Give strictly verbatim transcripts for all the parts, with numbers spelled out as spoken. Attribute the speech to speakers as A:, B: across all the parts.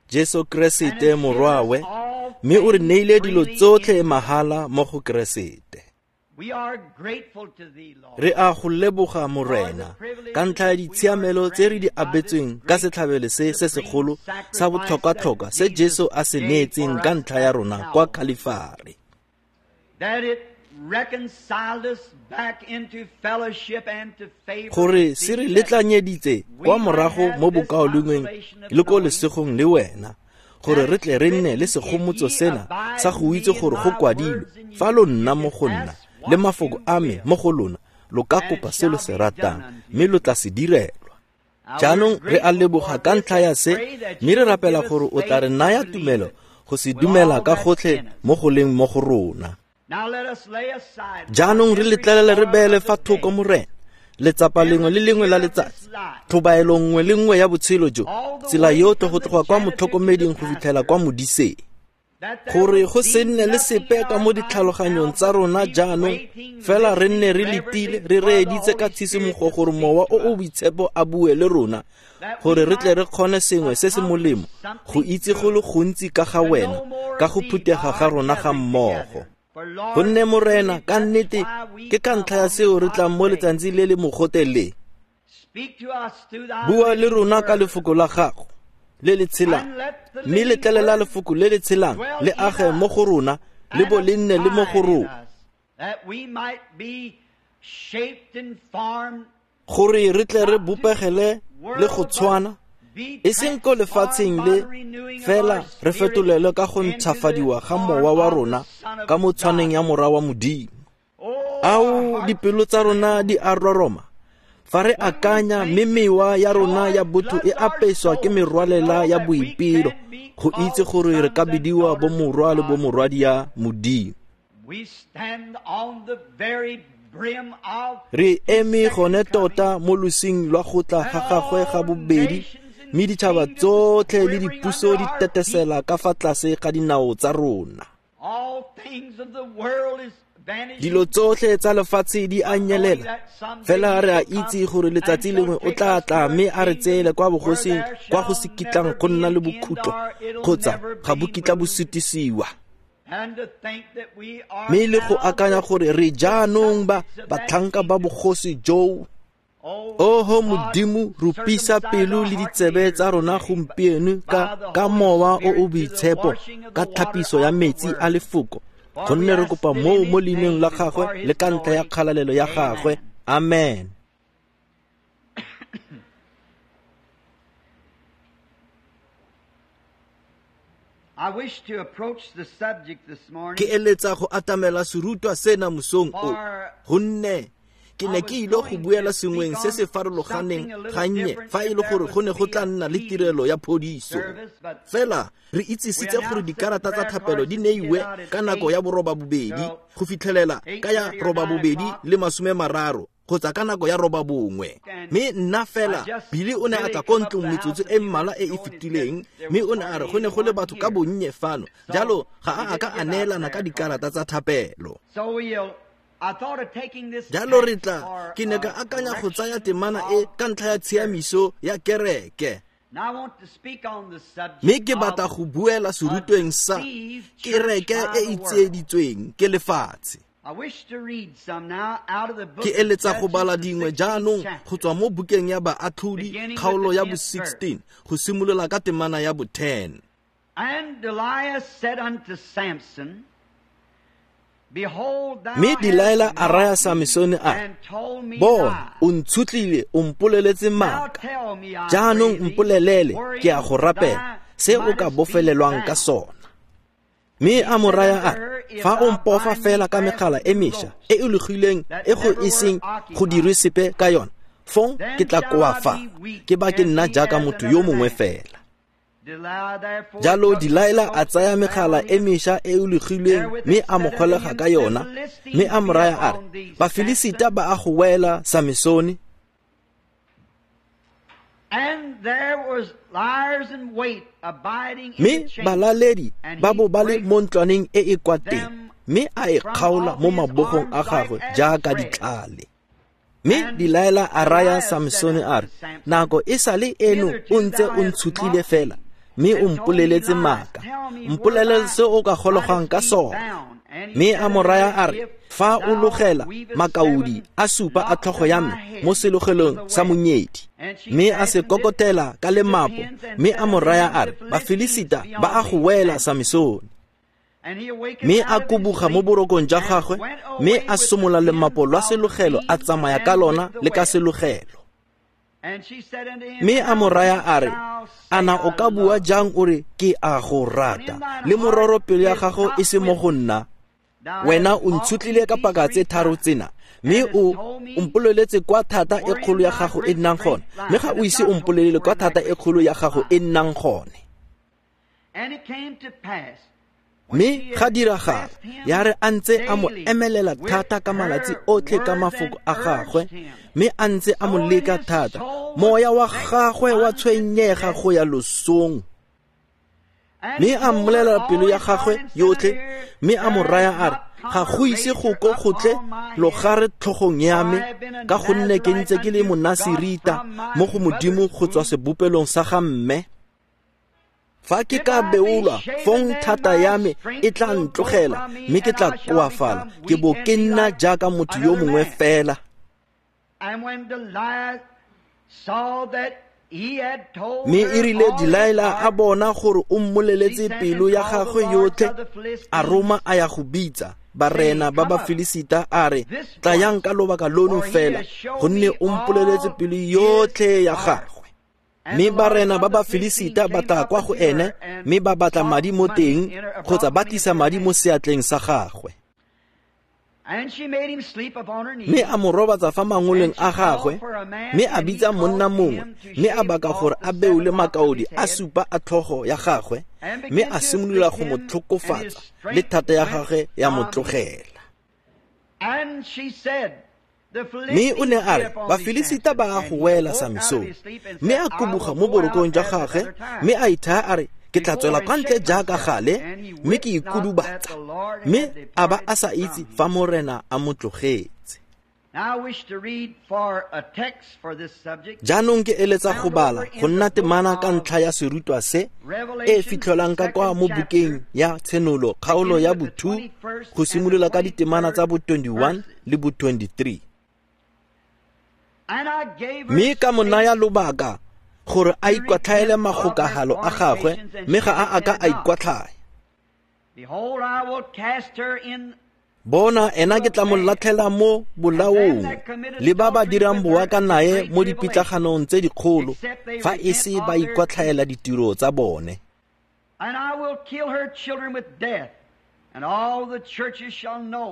A: Jesu Keresete Morwawe, mme o re neile dilo tsotlhe mahala mo go Keresete. Re a go leboga Morena ka ntlha ya ditshiamelo tse re di abetsweng ka setlhabelo se se segolo sa botlhokwa-tlhokwa se Jesu a se neetseng ka ntlha ya rona kwa Khalifari. Gore se re letlanyeditse kwa morago mo bokaulengweng le ko lesegong le wena, gore re tle re nne le segomotso sena sa go itse gore go kwadilwe, fa lo nna mo go nna le mafoko a me mo go lona, lo ka kopa se lo se ratang mme lo tla se direlwa. Jaanong re a leboga ka ntlha ya se, mme re rapela gore o tla re naya tumelo go se dumela ka gotlhe mo go leng mo go rona. Jaanong re letlelele re beele fa thoko Morena letsapa lengwe le lengwe la letsatsi, tlhobaelo nngwe le nngwe ya botshelo jo, tsela yotlhe go tloga kwa motlhokomeding go fitlhela kwa modiseng, gore go se nne le sepe ka mo ditlhaloganyong tsa rona jaanong, fela re nne re letile re reeditse ka tshisimogo gore Mowa o o Boitshepo a bue le rona, gore re tle re kgone sengwe se se molemo go itse go le gontsi ka ga wena ka go phuthega ga rona ga mmogo. Gonne Morena, ka nnete ke ka ntlha ya seo re tlang mo letsatsing le le mogote le. Bua le rona ka lefoko la gago le le tshelang, mme letlelela lefoko le le tshelang le age mo go rona le bo le nne le mo go rona, gore re tle re bopegele le go tshwana, e seng ko lefatsheng le fela re fetolelwe ka go ntšhafadiwa ga mowa wa rona ka mo tshwaneng ya Morwa wa Modimo. Ao, dipelo tsa rona di a roroma fa re akanya, mme mewa ya rona ya botho e apeswa ke merwalela ya boipelo go itse gore re ka bidiwa bo morwa le bo morwadia Modimo. Re eme gone tota mo losing lwa go tla ga gagwe ga bobedi, mme ditšhaba tsotlhe le dipuso di tetesela ka fa tlase ga dinao tsa rona. Dilo tsotlhe tsa lefatshe di a nyelela, fela re a itse gore letsatsi lengwe o tla tla mme a re tseele kwa bogosing kwa go se kitlang go nna le bokhutlo kgotsa ga bo kitla bo sutisiwa. Mme le go akanya gore re jaanong ba batlhanka ba bogosi joo. Oho Modimo, rupisa pelo le ditsebe tsa rona gompieno ka ka Mowa o o Boitshepo, ka tlhapiso ya metsi a lefoko, gonne re kopa moo mo leineng la gagwe le ka ntlha ya kgalalelo ya gagwe. Amen. Ke eletsa go atamela serutwa sena mosong o, gonne ke ne ke ile go buela sengweng se se farologaneng gannye fa e le gore go ne go tla nna le tirelo ya phodiso. Fela re itsisitse gore dikarata tsa thapelo di neiwe ka nako ya boroba bobedi go fitlhelela ka ya roba bobedi le masome mararo kgotsa ka nako ya roba bongwe. Mme nna fela Billy o ne a tla ko ntlong metsotso e mmalwa e e fetileng, mme o ne a re go ne go le batho ka bonnye fano, jalo ga a a ka a neelana ka dikarata tsa thapelo. Jalo re tla, ke ne ka akanya go tsaya temana e ka ntlha ya tshiamiso ya kereke. Mme ke batla go buela serutweng sa kereke e e tsieditsweng ke lefatshe. Ke eletsa go bala dingwe jaanong go tswa mo bukeng ya Baatlhodi kgaolo ya bo sixteen go simolola ka temana ya bo ten.
B: And Delilah said unto Samson,
A: Mme Delilah a raya Samesone a re, Bona, o ntshutlile, o mpoleletse maaka. Jaanong mpolelele, ke a go rapela, se o ka bofelelwang ka sona. Mme a mo raya a re, fa o mpofa fela ka megala e mešwa e e logilweng e go iseng go dirwe sepe ka yona, fong ke tla koafala, ke ba ke nna jaaka motho yo mongwe fela. Jalo Delilah a tsaya megala e mešwa e e logilweng mme a mo golega ka yona, mme a mo raya a re, Bafilisita ba a go wela, Samesone. Mme balaledi ba bo ba le mo ntlwaneng e e kwa teng, mme a e kgaola mo mabogong a gagwe jaaka ditlhale. Mme Delilah a raya Samsone a re, nako e sale eno o ntse o ntshotlile fela, mme o mpoleletse maaka. Mpolelele se o ka gologang ka sona. Mme a mo raya a re, fa o logela makaodi a supa a tlhogo ya me mo selogelong sa monyedi. Mme a se kokotela ka lemapo, mme a mo raya a re, Bafilisita ba a go wela, Samsone. Mme a kubuga mo borokong jwa gagwe, mme a somola lemapo lwa selogelo a tsamaya ka lona le ka selogelo. Mme a mo raya a re, ana o ka bua jang o re ke a go rata, le mororo pelo ya gago e se mo go nna? Wena o ntshotlile ka paka tse tharo tsena, mme o mpoleletse kwa thata e kgolo ya gago e nnang gone, mme ga o ise o mpolelele kwa thata e kgolo ya gago e nnang gone. Mme ga diragala ya re a ntse a mo emelela thata ka malatsi otlhe ka mafoko a gagwe, mme a ntse a mo leka thata, moya wa gagwe wa tshwenyega go ya losong. Mme a mmolelela pelo ya gagwe yotlhe, mme a mo raya a re, ga go ise go ko go tle logare tlhogong ya me, ka gonne ke ntse ke le monasirita mo go Modimo go tswa sebopelong sa ga mme. Fa ke ka beolwa, fong thata ya me e tla ntlogela, mme ke tla koafala, ke bo ke nna jaaka motho yo mongwe fela. Mme e rile Delilah a bona gore o mmoleletse pelo ya gagwe yotlhe, a roma a ya go bitsa barena ba Bafilisita a re, tlayang ka lobaka lono fela, gonne o mpoleletse pelo yotlhe ya gagwe. Mme barena ba Bafilisita ba tla kwa go ene, mme ba batla madi mo teng, kgotsa ba tlisa madi mo seatleng sa gagwe. Mme a mo robatsa fa mangoleng a gagwe, mme a bitsa monna mongwe, mme a baka gore a beole makaodi a supa a tlhogo ya gagwe, mme a simolola go mo tlhokofatsa, le thata ya gagwe ya mo tlogela. Mme o ne a re, Bafilisita ba a go wela, Samsone. Mme a kubuga mo borokong jwa gagwe, mme a ithaya a re, ke tla tswela kwa ntle jaaka gale, mme ke ikudubatsa. Mme a ba a sa itse fa Morena a mo tlogetse. Jaanong ke eletsa go bala go nna temana ka ntlha ya serutwa se, e fitlhelwang ka kwa mo bukeng ya Tshenolo kgaolo ya bo two, go simolola ka ditemana tsa bo twenty-one le bo twenty-three. Mme ka mo naya lobaka gore a ikwatlhaele magokagalo a gagwe, mme ga a a ka a ikwatlhaya. Bona, ena ke tla mo latlhela mo bolaong, le ba ba dirang boaka nae mo dipitlaganong tse dikgolo, fa e se ba ikwatlhaela ditiro tsa bone.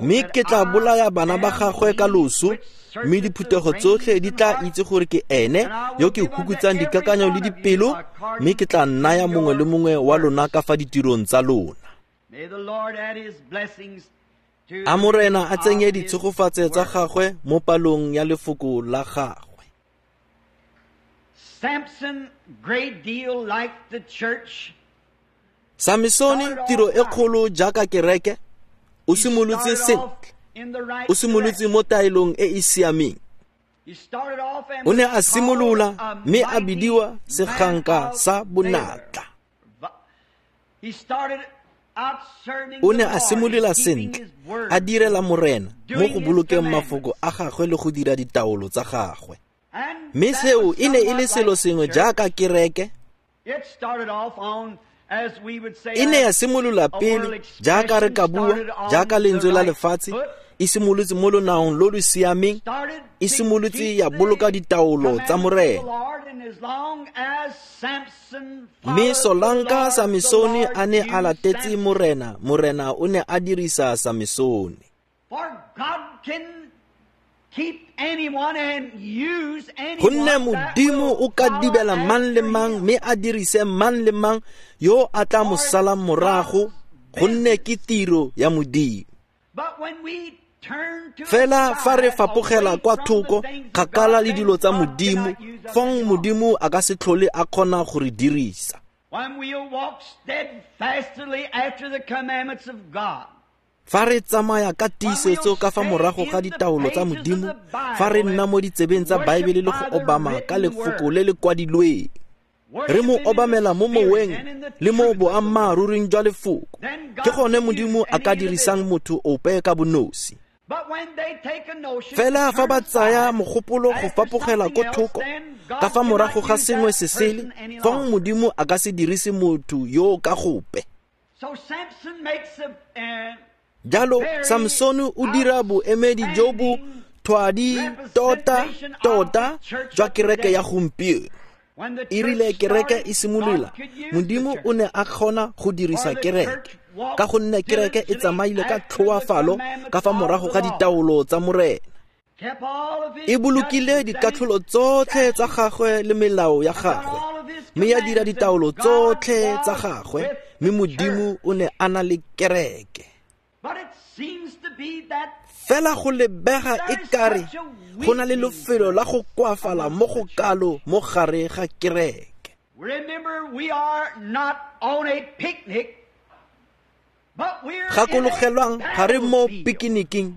A: Mme ke tla bolaya bana ba gagwe ka loso, mme diphuthego tsotlhe di tla itse gore ke ene yo ke hukutsang dikakanyo le dipelo, mme ke tla naya mongwe le mongwe wa lona ka fa ditirong tsa lona. A Morena a tsenye ditshegofatso tsa gagwe mo palong ya lefoko la gagwe.
B: Samson, great deal like the church.
A: Samsone, tiro e kgolo jaaka kereke, o simolotse sentle, o simolotse mo taelong e e siameng. O ne a simolola mme a bidiwa seganka sa bonatla. O ne a simolola sentle, a direla Morena mo go bolokeng mafoko a gagwe le go dira ditaolo tsa gagwe. Mme seo e ne e le selo sengwe jaaka kereke. E ne ya simolola pele jaaka re ka bua, jaaka lentswe la lefatshe, e simolotse mo lonaong lo lo siameng, e simolotse ya boloka ditaolo tsa Morena. Mme solanka Samsone a ne a latetse Morena, Morena o ne a dirisa Samsone. Gonne Modimo o ka dibela mang le mang, mme a dirise mang le mang yo a tla mo salang morago, gonne ke tiro ya Modimo. Fela fa re fapogela kwa thoko kgakala le dilo tsa Modimo, fong Modimo a ka se tlhole a kgona go re dirisa. Fa re tsamaya ka tiisetso ka fa morago ga ditaolo tsa Modimo, fa re nna mo ditsebeng tsa Baebele le go obama ka lefoko le le kwadilweng, re mo obamela mo moweng le mo boammaaruring jwa lefoko, ke gone Modimo a ka dirisang motho ope ka bonosi. Fela fa ba tsaya mogopolo go fapogela ko thoko ka fa morago ga sengwe se sele, fong Modimo a ka se dirise motho yo ka gope. Jalo Samsone o dira boemedi jo bo thwadi tota tota jwa kereke ya gompieno. E rile kereke e simolola, Modimo o ne a kgona go dirisa kereke ka gonne kereke e tsamaile ka tlhoafalo ka fa morago ga ditaolo tsa Morena. E bolokile dikatlholo tsotlhe tsa gagwe le melao ya gagwe, mme ya dira ditaolo tsotlhe tsa gagwe, mme Modimo o ne a na le kereke. Fela go lebega e kare go na le lefelo la go koafala mo go kalo mo gare ga kereke. Gakologelwang, ga re mo pikiniking,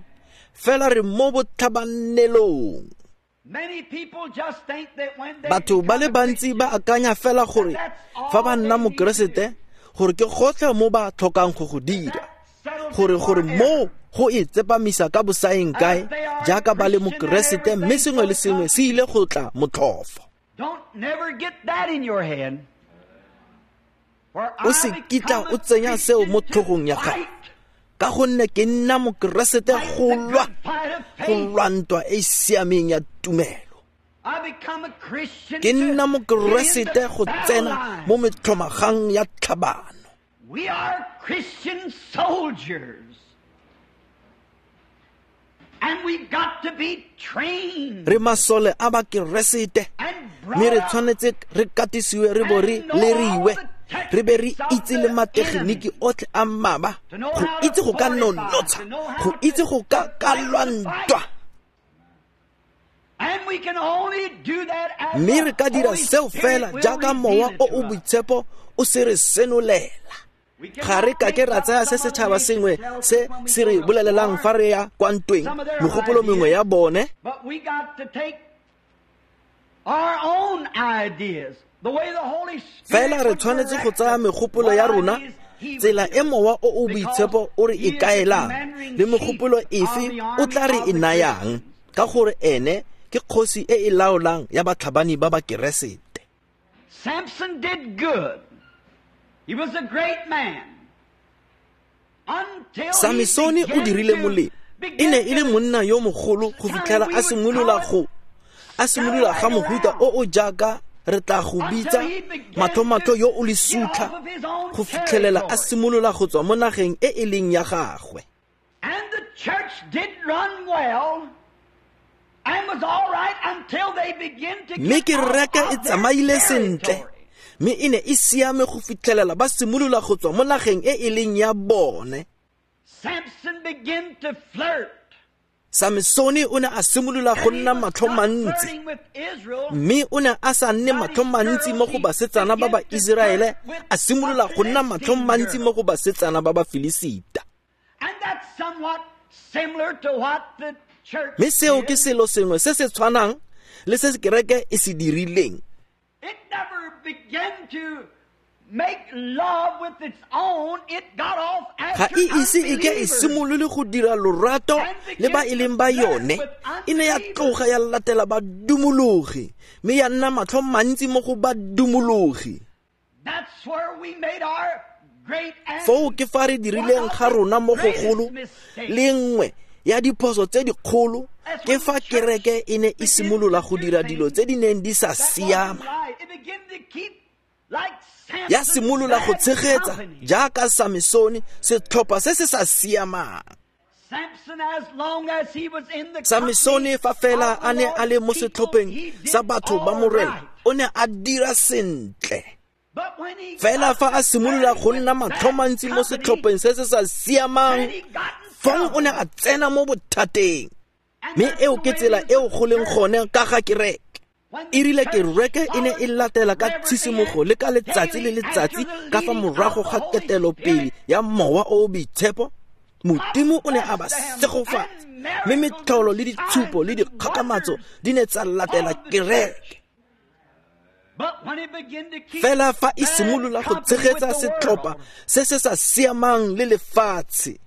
A: fela re mo botlhabanelong. Batho ba le bantsi ba akanya fela gore fa ba nna mokeresete, gore ke gotlhe mo ba tlhokang go go dira, gore gore mo go e tsepamisa ka bosaeng kae jaaka ba le mokeresete, mme sengwe le sengwe se ile go tla motlhofo. O se kitla o tsenya seo mo tlhogong ya gago, ka gonne ke nna mokeresete go lwa go lwa ntwa e e siameng ya tumelo. Ke nna mokeresete go tsena mo metlhomagang ya tlhabano.
B: We are Christian soldiers. And we've got to be trained.
A: Re masole a bakeresete, mme re tshwanetse re katisiwe, re bo re leriwe, re be re itse le mategeniki otlhe a mmaba, go itse go ka nonotsha, go itse go ka ka lwa ntwa. Mme re ka dira seo fela jaaka Mowa o o Boitshepo o se re senolela. Ga re ka ke ra tsaya se setšhaba sengwe se se re bolelelang fa re ya kwa ntweng, megopolo mengwe ya bone. Fela re tshwanetse go tsaya megopolo ya rona, tsela e Mowa o o Boitshepo o re e kaelang, le megopolo efe o tla re e nayang, ka gore ene ke kgosi e e laolang ya batlhabani ba bakeresete.
B: Samson did good. He was a great man. Until
A: Samsone o dirile molemo. E ne e le monna yo mogolo go fitlhela a simolola go a simolola ga mohuta o o jaaka re tla go bitsa matlhomatlho yo o lesutlha, go fitlhelela a simolola go tswa mo nageng e e leng ya gagwe.
B: And the church did run well and was all right until they began to
A: Mme
B: get out
A: kereke e
B: of their
A: tsamaile sentle,
B: territory.
A: mme e ne e siame go fitlhelela ba simolola go tswa mo nageng e e leng ya bone.
B: Samson began to flirt.
A: Samsone o ne a simolola go nna matlho mantsi, mme o ne a sa nne matlho mantsi mo go basetsana ba ba Iseraele, a simolola go nna matlho mantsi mo go basetsana ba ba Filisita.
B: And that's somewhat similar to what the church
A: Mme seo ke
B: did.
A: selo sengwe se se tshwanang le se kereke e se dirileng.
B: It never began to make love with its own. It got off
A: Ga
B: after
A: e ise e ke e
B: unbelievers.
A: simolole go dira lorato le ba e leng ba yone. E ne ya tloga ya latela badumologi, mme ya nna matlho mantsi mo go badumologi.
B: That's where we made our great and
A: Foo ke fa re dirileng ga rona mo gogolo le nngwe ya diphoso tse dikgolo, ke fa kereke e ne e simolola go dira dilo tse di neng di sa
B: that wasn't
A: siama.
B: right. It began to keep like
A: Ya
B: Samson's
A: simolola go
B: bad
A: tshegetsa
B: company.
A: jaaka Samsone setlhopha se se sa siamang.
B: Samson, as long as he was in the
A: Samsone
B: company
A: fa fela
B: of the
A: a ne a le mo
B: Lord's people,
A: setlhopheng
B: he did
A: sa batho ba
B: all
A: Morena,
B: right.
A: o ne a dira sentle.
B: But when he
A: Fela
B: got
A: fa a simolola go nna
B: with
A: matlho
B: bad
A: mantsi mo
B: company,
A: setlhopheng se se sa siamang,
B: then he got in
A: fong o ne
B: trouble.
A: a tsena mo bothateng.
B: And
A: Mme
B: that's
A: eo
B: the
A: ke
B: way
A: tsela
B: it is
A: eo
B: with
A: go leng
B: the church.
A: gone ka ga kereke.
B: When the
A: E rile
B: church
A: kereke e ne e
B: followed
A: latela ka
B: reverently
A: tshisimogo
B: and
A: le ka letsatsi le
B: daily
A: letsatsi
B: after the
A: ka fa
B: leading
A: morago
B: of the
A: ga
B: Holy
A: ketelopele
B: Spirit,
A: ya Mowa o o Boitshepo, Modimo o ne a ba segofatsa, mme metlholo le ditshupo le dikgakgamatso di ne tsa latela kereke. Fela fa e simolola go tshegetsa setlhopha se se sa siamang le lefatshe,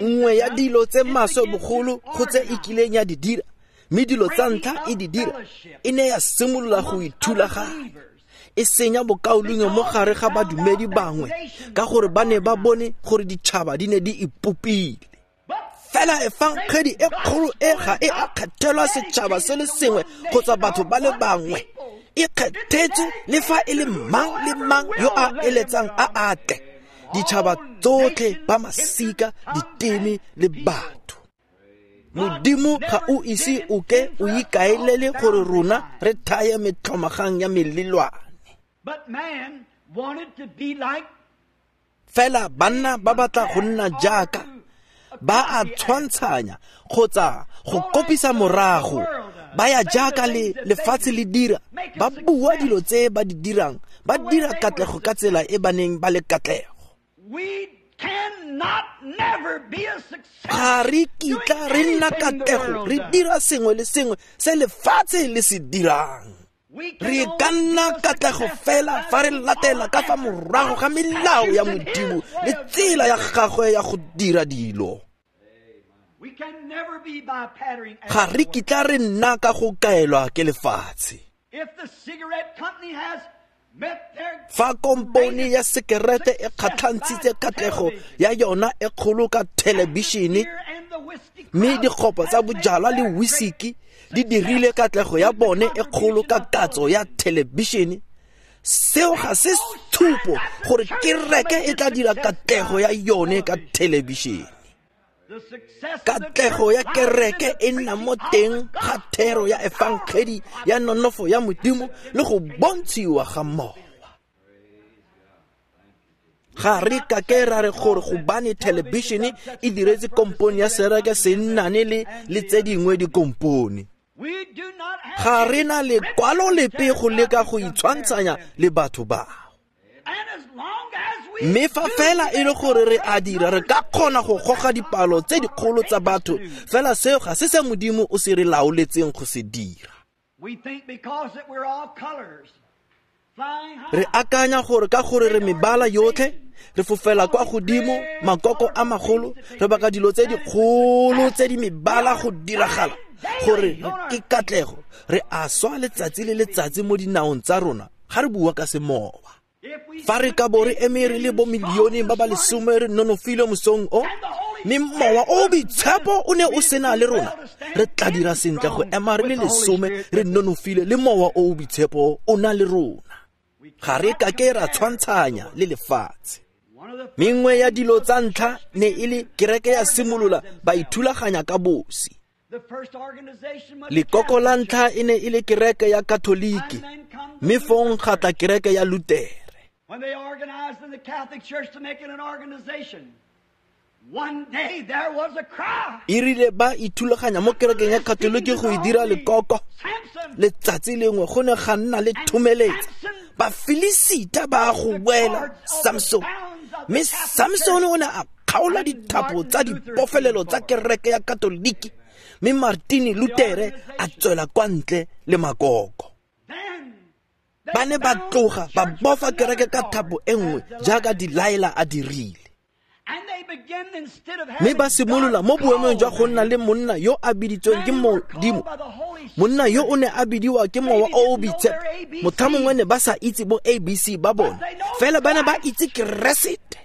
A: nngwe ya dilo tse maswe bogolo go tse e kileng ya di dira, mme dilo tsa ntlha e di dira, e ne ya simolola go ithulaganya, e senya bokaulengwe mo gare ga badumedi bangwe, ka gore ba ne ba bone gore ditšhaba di ne di ipopile. Fela efangedi e kgolo e ga e a kgethelwa setšhaba se le sengwe kgotsa batho ba le bangwe, e kgethetswe le fa e le mang le mang yo a eletsang a atle, ditšhaba tsotlhe, ba masika, diteme le batho. Modimo ga o ise o ke o ikaelele gore rona re thaye metlhomagang ya melelwane. Fela banna ba batla go nna jaaka ba a tshwantshanya kgotsa go kopisa morago, ba ya jaaka le lefatshe le dira, ba bua dilo tse ba di dirang, ba dira katlego ka tsela e ba neng ba le katlego. Ga re kitla re nna katlego re dira sengwe le sengwe se lefatshe le se dirang. Re ka nna katlego fela fa re latela ka fa morago ga melao ya Modimo le tsela ya gagwe ya go dira dilo. Ga re kitla re nna ka go kaelwa ke lefatshe. Fa kompone ya sekerete e kgatlhantshitse katlego ya yona e kgolo ka thelebišene, mme dikgopo tsa bojalwa le whisky di dirile katlego ya bone e kgolo ka katso ya thelebišene, seo ga se tshupo gore kereke e tla dira katlego ya yone ka thelebišene. Katlego ya kereke e nna mo teng ga thero ya efangedi ya nonofo ya Modimo le go bontshiwa ga mowa. Ga re kake ra re gore gobane thelebišene e diretse kompone ya sereke se nnane le le tse dingwe dikompone. Ga re na lekwalo lepe go leka go itshwantshanya le batho bao. Mme fa fela e le gore re a dira, re ka kgona go goga dipalo tse dikgolo tsa batho, fela seo ga se se Modimo o se re laoletseng go se dira. Re akanya gore ka gore re mebala yotlhe, re fofela kwa godimo, makoko a magolo, re baka dilo tse dikgolo tse di mebala go diragala, gore ke katlego. Re a swa letsatsi le letsatsi mo dinaong tsa rona ga re bua ka semowa. Fa re ka bo re eme re le bo milione ba ba lesome re nonofile mosong o, mme mowa o boitshepo o ne o sena le rona, re tla dira sentle go ema re le lesome re nonofile le mowa o boitshepo o na le rona. Ga re kake ra tshwantshanya le lefatshe. Mengwe ya dilo tsa ntlha ne e le kereke ya simolola ba ithulaganya ka bosi. Lekoko la ntlha e ne e le kereke ya Katoliki, mme fong ga tla kereke ya Lutere.
B: When they organized in the Catholic Church to make it an organization, one day there was a cry.
A: E rile ba ithulaganya mo kerekeng ya Katoliki go e dira lekoko, letsatsi lengwe go ne ga nna le thomeletsa. Bafilisita ba go wela Samson, mme Samson o ne a kgaola dithapo tsa dipofelelo tsa kereke ya Katoliki, mme Martin Lutere a tswela kwa ntle le makoko. Ba ne ba tloga ba bofa kereke ka thapo e nngwe jaaka Delilah a dirile. Mme ba simolola mo boemong jwa go nna le monna yo a biditsweng ke Modimo, monna yo o ne a bidiwa ke mowa o o boitshepo. Motlha mongwe ne ba sa itse bo A B C ba bone, fela ba ne ba itse Keresete.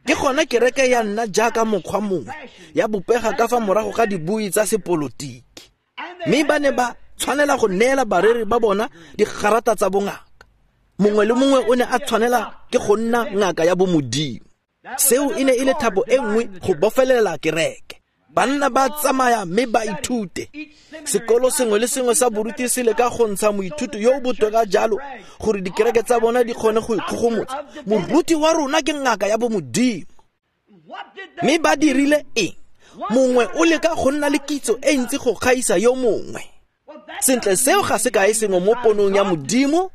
A: Ke gona kereke ya nna jaaka mokgwa mongwe ya bopega ka fa morago ga dibui tsa sepolotiki, mme ba ne ba tshwanela go neela bareri ba bona digarata tsa bongaka. Mongwe le mongwe o ne a tshwanela ke go nna ngaka ya bomodimo. Seo e ne e le thapo e nngwe go bofelela kereke. Banna ba tsamaya mme ba ithute. Sekolo sengwe le sengwe sa boruti se leka go ntsha moithuti yo o botoka jalo gore dikereke tsa bona di kgone go ikgogomotsa. Moruti wa rona ke ngaka ya bomodimo. Mme ba dirile eng? Mongwe o leka go nna le kitso e ntsi go gaisa yo mongwe. Sentle, seo ga se kae sengwe mo ponong ya Modimo.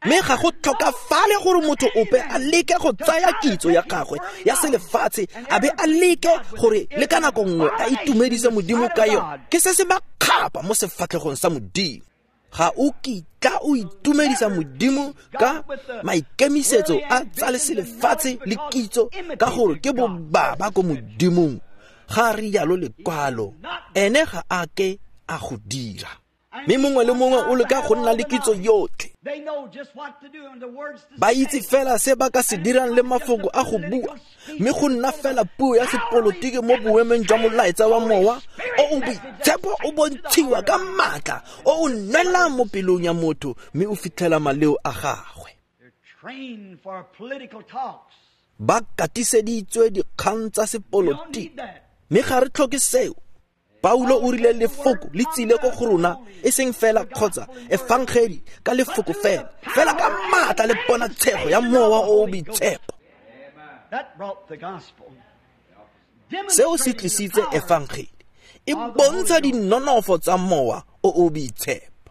A: Mme ga go tlhokafale gore motho ope a leke go tsaya kitso ya gagwe ya selefatshe a be a leke gore le ka nako nngwe a itumedise Modimo ka yone. Ke se se makgapa mo sefatlhegong sa Modimo. Ga o kitla o itumedisa Modimo ka maikemisetso a tsa selefatshe le kitso, ka gore ke bobaba ko Modimong. Ga rialo lekwalo, ene ga a ke a go dira. Mme mongwe le mongwe o leka go nna le kitso yotlhe. Ba itse fela se ba ka se dirang le mafoko a go bua, mme go nna fela puo ya sepolotiki mo boemeng jwa molaetsa wa mowa o o boitshepo o bontshiwa ka maatla o o nwelang mo pelong ya motho, mme o fitlhela maleo a gagwe. Ba katiseditswe dikgang tsa sepolotiki, mme ga re tlhoke seo. Paulo o rile lefoko le tsile ko go rona, e seng fela kgotsa efangedi ka lefoko fela, fela ka maatla le ponatshego ya mowa o o boitshepo. Seo se tlisitse efangedi, e bontsha dinonofo tsa mowa o o boitshepo.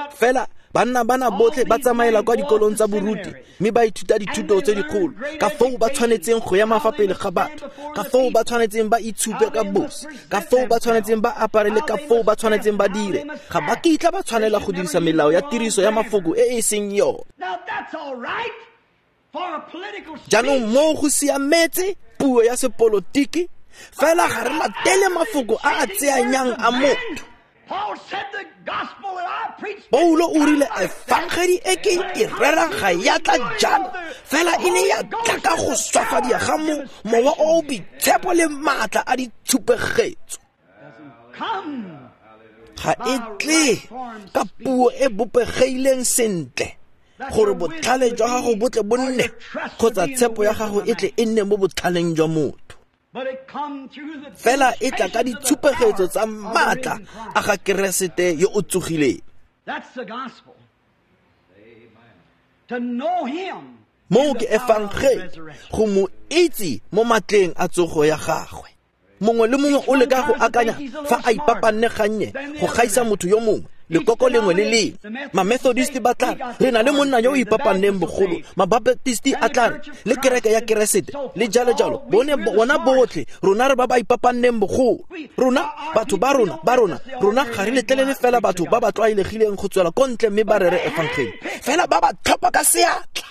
A: Fela banna bana botlhe ba tsamaela kwa dikolong tsa boruti, mme ba ithuta dithuto tse dikgolo, ka foo ba tshwanetseng go ema fa pele ga batho, ka foo ba tshwanetseng ba itshupe ka bosi, ka foo ba tshwanetseng ba apare le ka foo ba tshwanetseng ba dire. Ga ba kitla ba tshwanela go dirisa melao ya tiriso ya mafoko e e seng yone. Jaanong moo go siametse puo ya sepolotiki, fela ga re latele mafoko a a tseanyang a motho. Paulo o rile efangedi e ke e rerang ga ya tla jalo, fela e ne ya tla ka go swafadia ga mo mowa o o boitshepo le maatla a ditshupegetso. Ga e tle ka puo e bopegileng sentle gore botlhale jwa gago bo tle bo nne, kgotsa tshepo ya gago e tle e nne mo botlhaleng jwa motho. Fela e tla ka ditshupegetso tsa maatla a ga Keresete yo o tsogileng. Moo ke efangedi, go mo itse mo matleng a tsogo ya gagwe. Mongwe le mongwe o leka go akanya fa a ipapanne gannye go gaisa motho yo mongwe, lekoko lengwe le lengwe. Ma-Methodist ba tla re na le monna yo o ipapanneng bogolo, ma-Baptist a tla re le kereke ya Keresete le jalo jalo. Bone bona botlhe rona re ba ba ipapanneng bogolo. Rona batho ba rona ba rona rona ga re letlelele fela batho ba ba tlwaelegileng go tswela ko ntle mme ba rere efangedi, fela ba ba tlhopha ka seatla.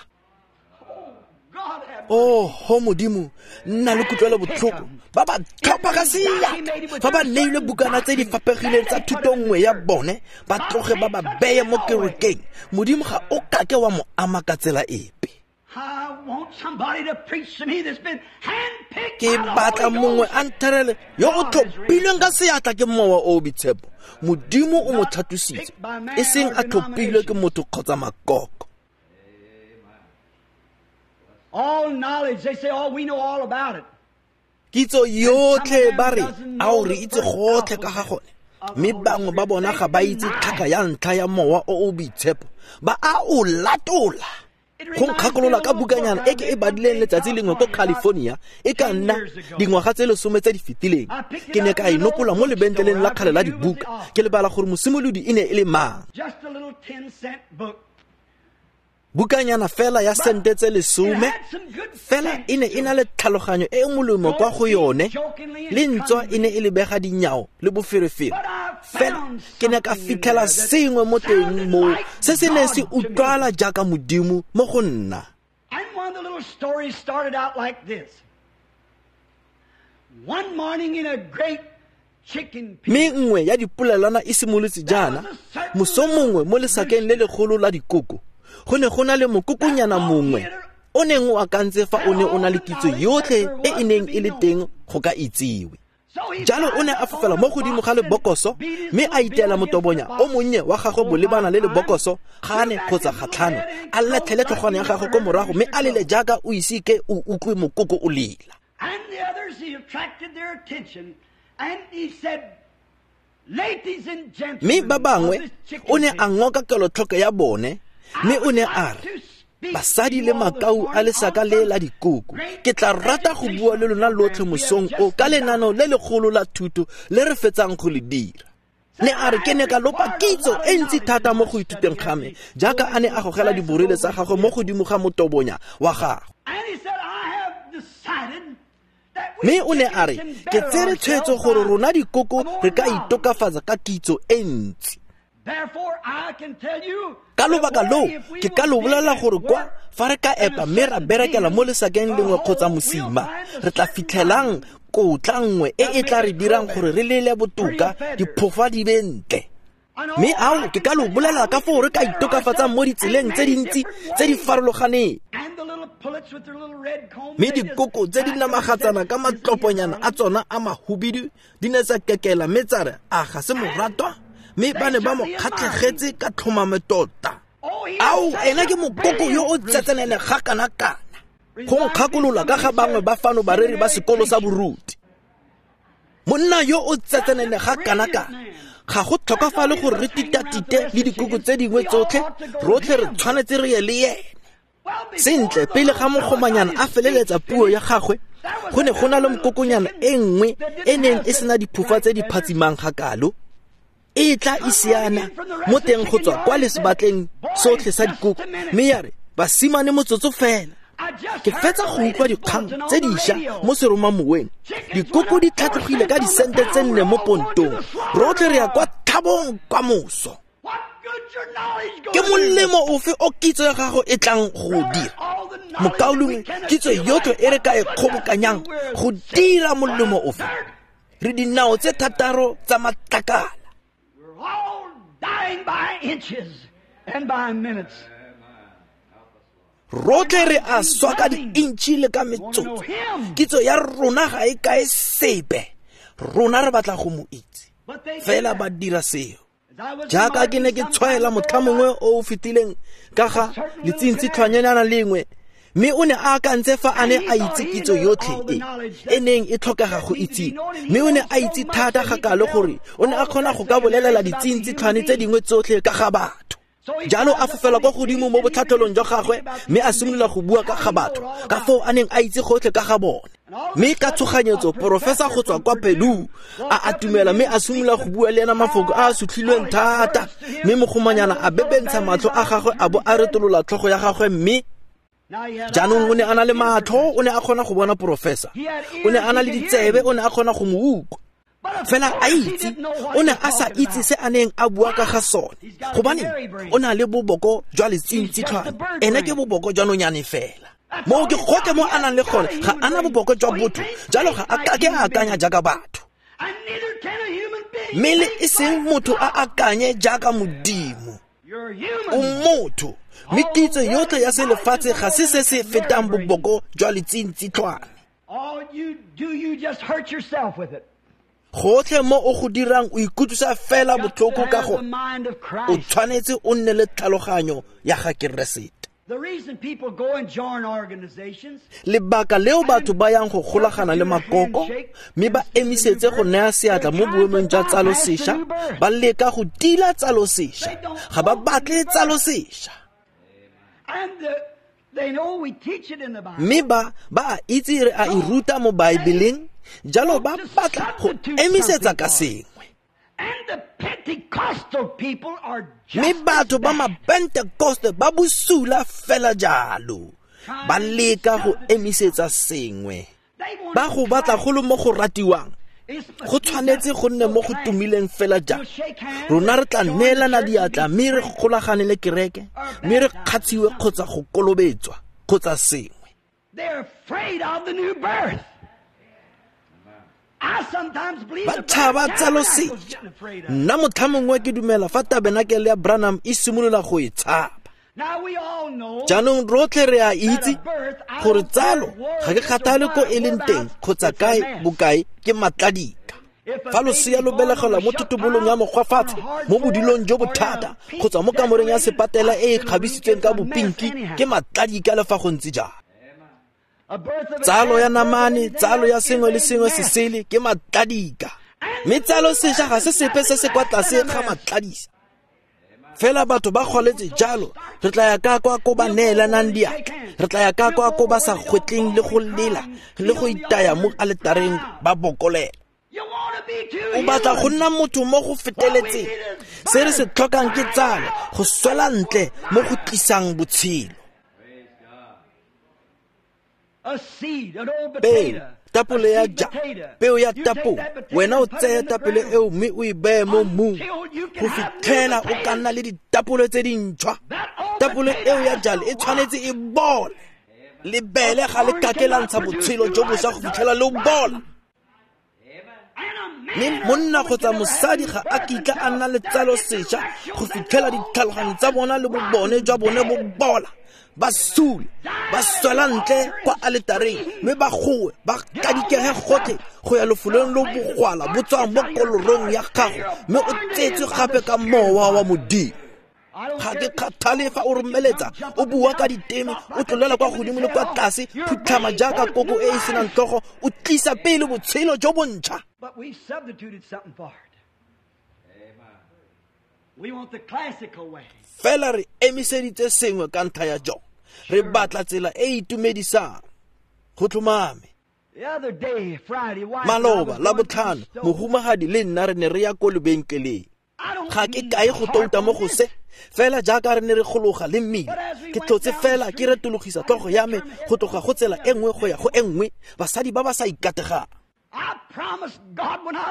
A: Oh, ho Modimo, nna le kutlwelo botlhoko. Ba ba tlhopha ka seatla. Fa ba neilwe bukana tse di fapegileng tsa thuto nngwe ya bone, ba tloge ba ba beye mo kerekeng. Modimo ga o kake wa mo ama ka tsela epe. Ke batla mongwe a ntherele yo o tlhophilweng ka seatla ke mowa o o boitshepo. Modimo o mo tlhatlositse, e seng a tlhophilwe ke motho kgotsa makoko.
B: All knowledge, they say, oh, we know all about it.
A: Kitso yotlhe ba re, ao re itse gotlhe ka ga gone. Mme bangwe ba bona ga ba itse tlhaka ya ntlha ya mowa o o boitshepo, ba a o latola. Go nkgakolola ka bukanyana e ke e badileng letsatsi lengwe ko California, e ka nna dingwaga tse lesome tse di fetileng. Ke ne ka e nopola mo lebentleleng la kgale la dibuka, ke lebala gore mosimolodi e ne e le mang. Bukanyana fela ya sente tse lesome, fela e ne e na le tlhaloganyo e e molemo kwa go yone, le ntswa e ne e lebega dinyao le boferefere. Fela ke ne ka fitlhela sengwe mo teng moo se se neng se utlwala jaaka Modimo mo go nna.
B: And one of the little stories started out like this. One morning in a great
A: Mme nngwe ya dipolelwana e simolotse jaana, moso mongwe mo lesakeng le legolo la dikoko, go ne go na le mokokonyana mongwe o neng o akantse fa o ne o na le kitso yotlhe e e neng e le teng go ka itsiwe. Jalo o ne a fofela mo godimo ga lebokoso, mme a iteela motobonya o monnye wa gagwe bolebana le lebokoso gane kgotsa gatlhano, a latlhele tlhogwana ya gagwe ko morago mme a lele jaaka o ise ke o utlwe mokoko o lela.
B: And the others, he attracted their attention, and he said, ladies and gentlemen,
A: mme ba bangwe o ne a ngoka kelotlhoko ya bone, mme o ne a re, basadi le makau a lesaka le la dikoko, ke tla rata go bua le lona lotlhe mosong o ka lenano le legolo la thuto le re fetsang go le dira. Ne a re ke ne ka lopa kitso e ntsi thata mo go ithuteng ga me, jaaka a ne a gogela diborele tsa gagwe mo godimo ga motobonya wa gagwe. Mme o ne a re ke tsere tshwetso gore rona dikoko re ka itokafatsa ka kitso e ntsi. Ka lobaka loo ke ka lo bolela gore kwa fa re ka epa mme ra berekela mo lesakeng lengwe kgotsa mosima, re tla fitlhelang kotla nngwe e e tla re dirang gore re lele botoka, diphofa di be ntle. Mme ao ke ka lo bolela ka foo re ka itokafatsang mo ditseleng tse dintsi tse di farologaneng. Mme dikoko tse di namagatsana ka matloponyana a tsona a mahubidu di ne tsa kekela mme tsa re a ga se moratwa, mme ba ne ba mo kgatlhegetse ka tlhomame tota. Ao ena ke mokoko yo o tsetsenene ga kana-kana. Go nkgakolola ka ga bangwe ba fano bareri ba sekolo sa boruti. Monna yo o tsetsenene ga kana-kana, ga go tlhokafale gore re titatite le dikoko tse dingwe tsotlhe, rotlhe re tshwanetse re ye le ene. Sentle, pele ga mogomanyana a feleletsa puo ya gagwe, go ne go na le mokokonyana e nngwe e neng e sena diphofa tse di phatsimang ga kalo. E tla isiana mo teng go tswa kwa lesebatleng sotlhe sa dikoko, mme ya re basimane motsotso fela. Ke fetsa go utlwa dikgang tse dišwa mo seromamoweng. Dikoko di tlhatlogile ka disente tse nne mo pontong. Rotlhe re ya kwa thabong kwa moso. Ke molemo ofe o kitso ya gago e tlang go dira? Mokaulengwe, kitso yotlhe e re ka e kgobokanyang go dira molemo ofe? Re dinao tse thataro tsa matlakala. Rotlhe re a swa ka di-intšhi le ka metsotso. Kitso ya rona ga e kae sepe. Rona re batla go mo itse. Fela ba dira seo. Jaaka ke ne ke tshwaela motlha mongwe o o fetileng ka ga letsintsitlhwanyana lengwe, mme o ne a akantse fa a ne a itse kitso yotlhe e e neng e tlhokega go itse, mme o ne a itse thata ga kalo gore o ne a kgona go ka bolelela ditsintsitlhwane tse dingwe tsotlhe ka ga batho. Jalo a fofela kwa godimo mo botlhatlhelong jwa gagwe mme a simolola go bua ka ga batho ka foo a neng a itse gotlhe ka ga bone. Mme ka tshoganyetso porofesa go tswa kwa Pelu a atumela mme a simolola go bua le ena mafoko a a sutlhilweng thata, mme mogomanyana a bebentsha matlho a gagwe a bo a retolola tlhogo ya gagwe. Mme jaanong o ne a na le matlho, o ne a kgona go bona porofesa, o ne a na le ditsebe, o ne a kgona go mo utlwa. Fela a itse, o ne a sa itse se a neng a bua ka ga sone, gobane o na le boboko jwa letsintsitlhwane. Ene ke boboko jwa nonyane fela. Moo ke gotlhe mo a nang le gone, ga a na boboko jwa botho, jalo ga a kake a akanya jaaka batho. Mme le e seng motho a akanye jaaka Modimo. O motho, mme kitso yotlhe ya selefatshe ga se se se fetang boboko jwa letsintsitlhwane. Gotlhe mo o go dirang o ikutlwisa fela botlhoko ka go o tshwanetse o nne le tlhaloganyo ya ga Keresete. Lebaka leo batho ba yang go golagana le makoko mme ba emisetse go naya seatla mo boemong jwa tsalo sešwa, ba leka go tila tsalo sešwa, ga ba batle tsalo sešwa. Mme ba ba a itse re a e ruta mo Baebeleng, jalo ba batla go emisetsa ka sengwe. Mme batho ba mapentekoste ba bosula fela jalo, ba leka go emisetsa sengwe. Ba go batla go le mo go ratiwang, go tshwanetse go nne mo go tumileng fela jalo. Rona re tla neelana diatla mme re golagane le kereke, mme re kgatshiwe kgotsa go kolobetswa kgotsa sengwe. Ba tshaba tsalo sešwa. Nna motlha mongwe ke dumela fa tabenakele ya Branham e simolola go e tshaba. Jaanong rotlhe re a itse gore tsalo ga ke kgathale ko e leng teng kgotsa kae bokae ke matladika. Fa losea lo belegelwa mo thotobolong ya mokgwafatshe, mo bodilong jo bothata kgotsa mo kamoreng ya sepatela e e kgabisitsweng ka bopinki, ke matladika le fa go ntse jalo. Tsalo ya namane, tsalo ya sengwe le sengwe se sele ke matladika. Mme tsalo sešwa ga se sepe se se kwa tlase ga matladisa. Fela batho ba kgwaletse jalo, re tla ya ka kwa ko ba neelanang diatla, re tla ya ka kwa ko ba sa kgwetleng le go lela le go itaya mo aletareng ba bokolela. O batla go nna motho mo go feteletseng. Se re se tlhokang ke tsalo, go swela ntle mo go tlisang botshelo. Peo, tapole ya ja, peo ya tapole. Wena o tseye tapole eo mme o e beye mo mmung go fitlhela o ka nna le ditapole tse dintšhwa. Tapole eo ya jalo e tshwanetse e bole. Lebele ga le kake la ntsha botshelo jo bošwa go fitlhela le bola. Mme monna kgotsa mosadi ga a kitla a nna le tsalo sešwa go fitlhela ditlhaloganyo tsa bona le bobone jwa bone bo bola. Ba sule, ba swela ntle kwa aletareng, mme ba goe, ba kadikege gotlhe go ya lefolong lo bogwala bo tswang mo kolorong ya gago, mme o tsetswe gape ka mowa wa Modimo. Ga ke kgathale fa o romeletsa, o bua ka diteme, o tlolela kwa godimo le kwa tlase, phutlhama jaaka koko e e senang tlhogo, o tlisa pele botshelo jo bontšha. Fela re emiseditse sengwe ka ntlha ya jone. Re batla tsela e e itumedisang. Go tlhomame. Maloba la botlhano, mohumagadi le nna re ne re ya ko lebenkeleng. Ga ke kae go touta mo go se, fela jaaka re ne re gologa le mmila, ke tlotse fela ke retologisa tlhogo ya me go tloga go tsela e nngwe go ya go e nngwe, basadi ba ba sa ikategang.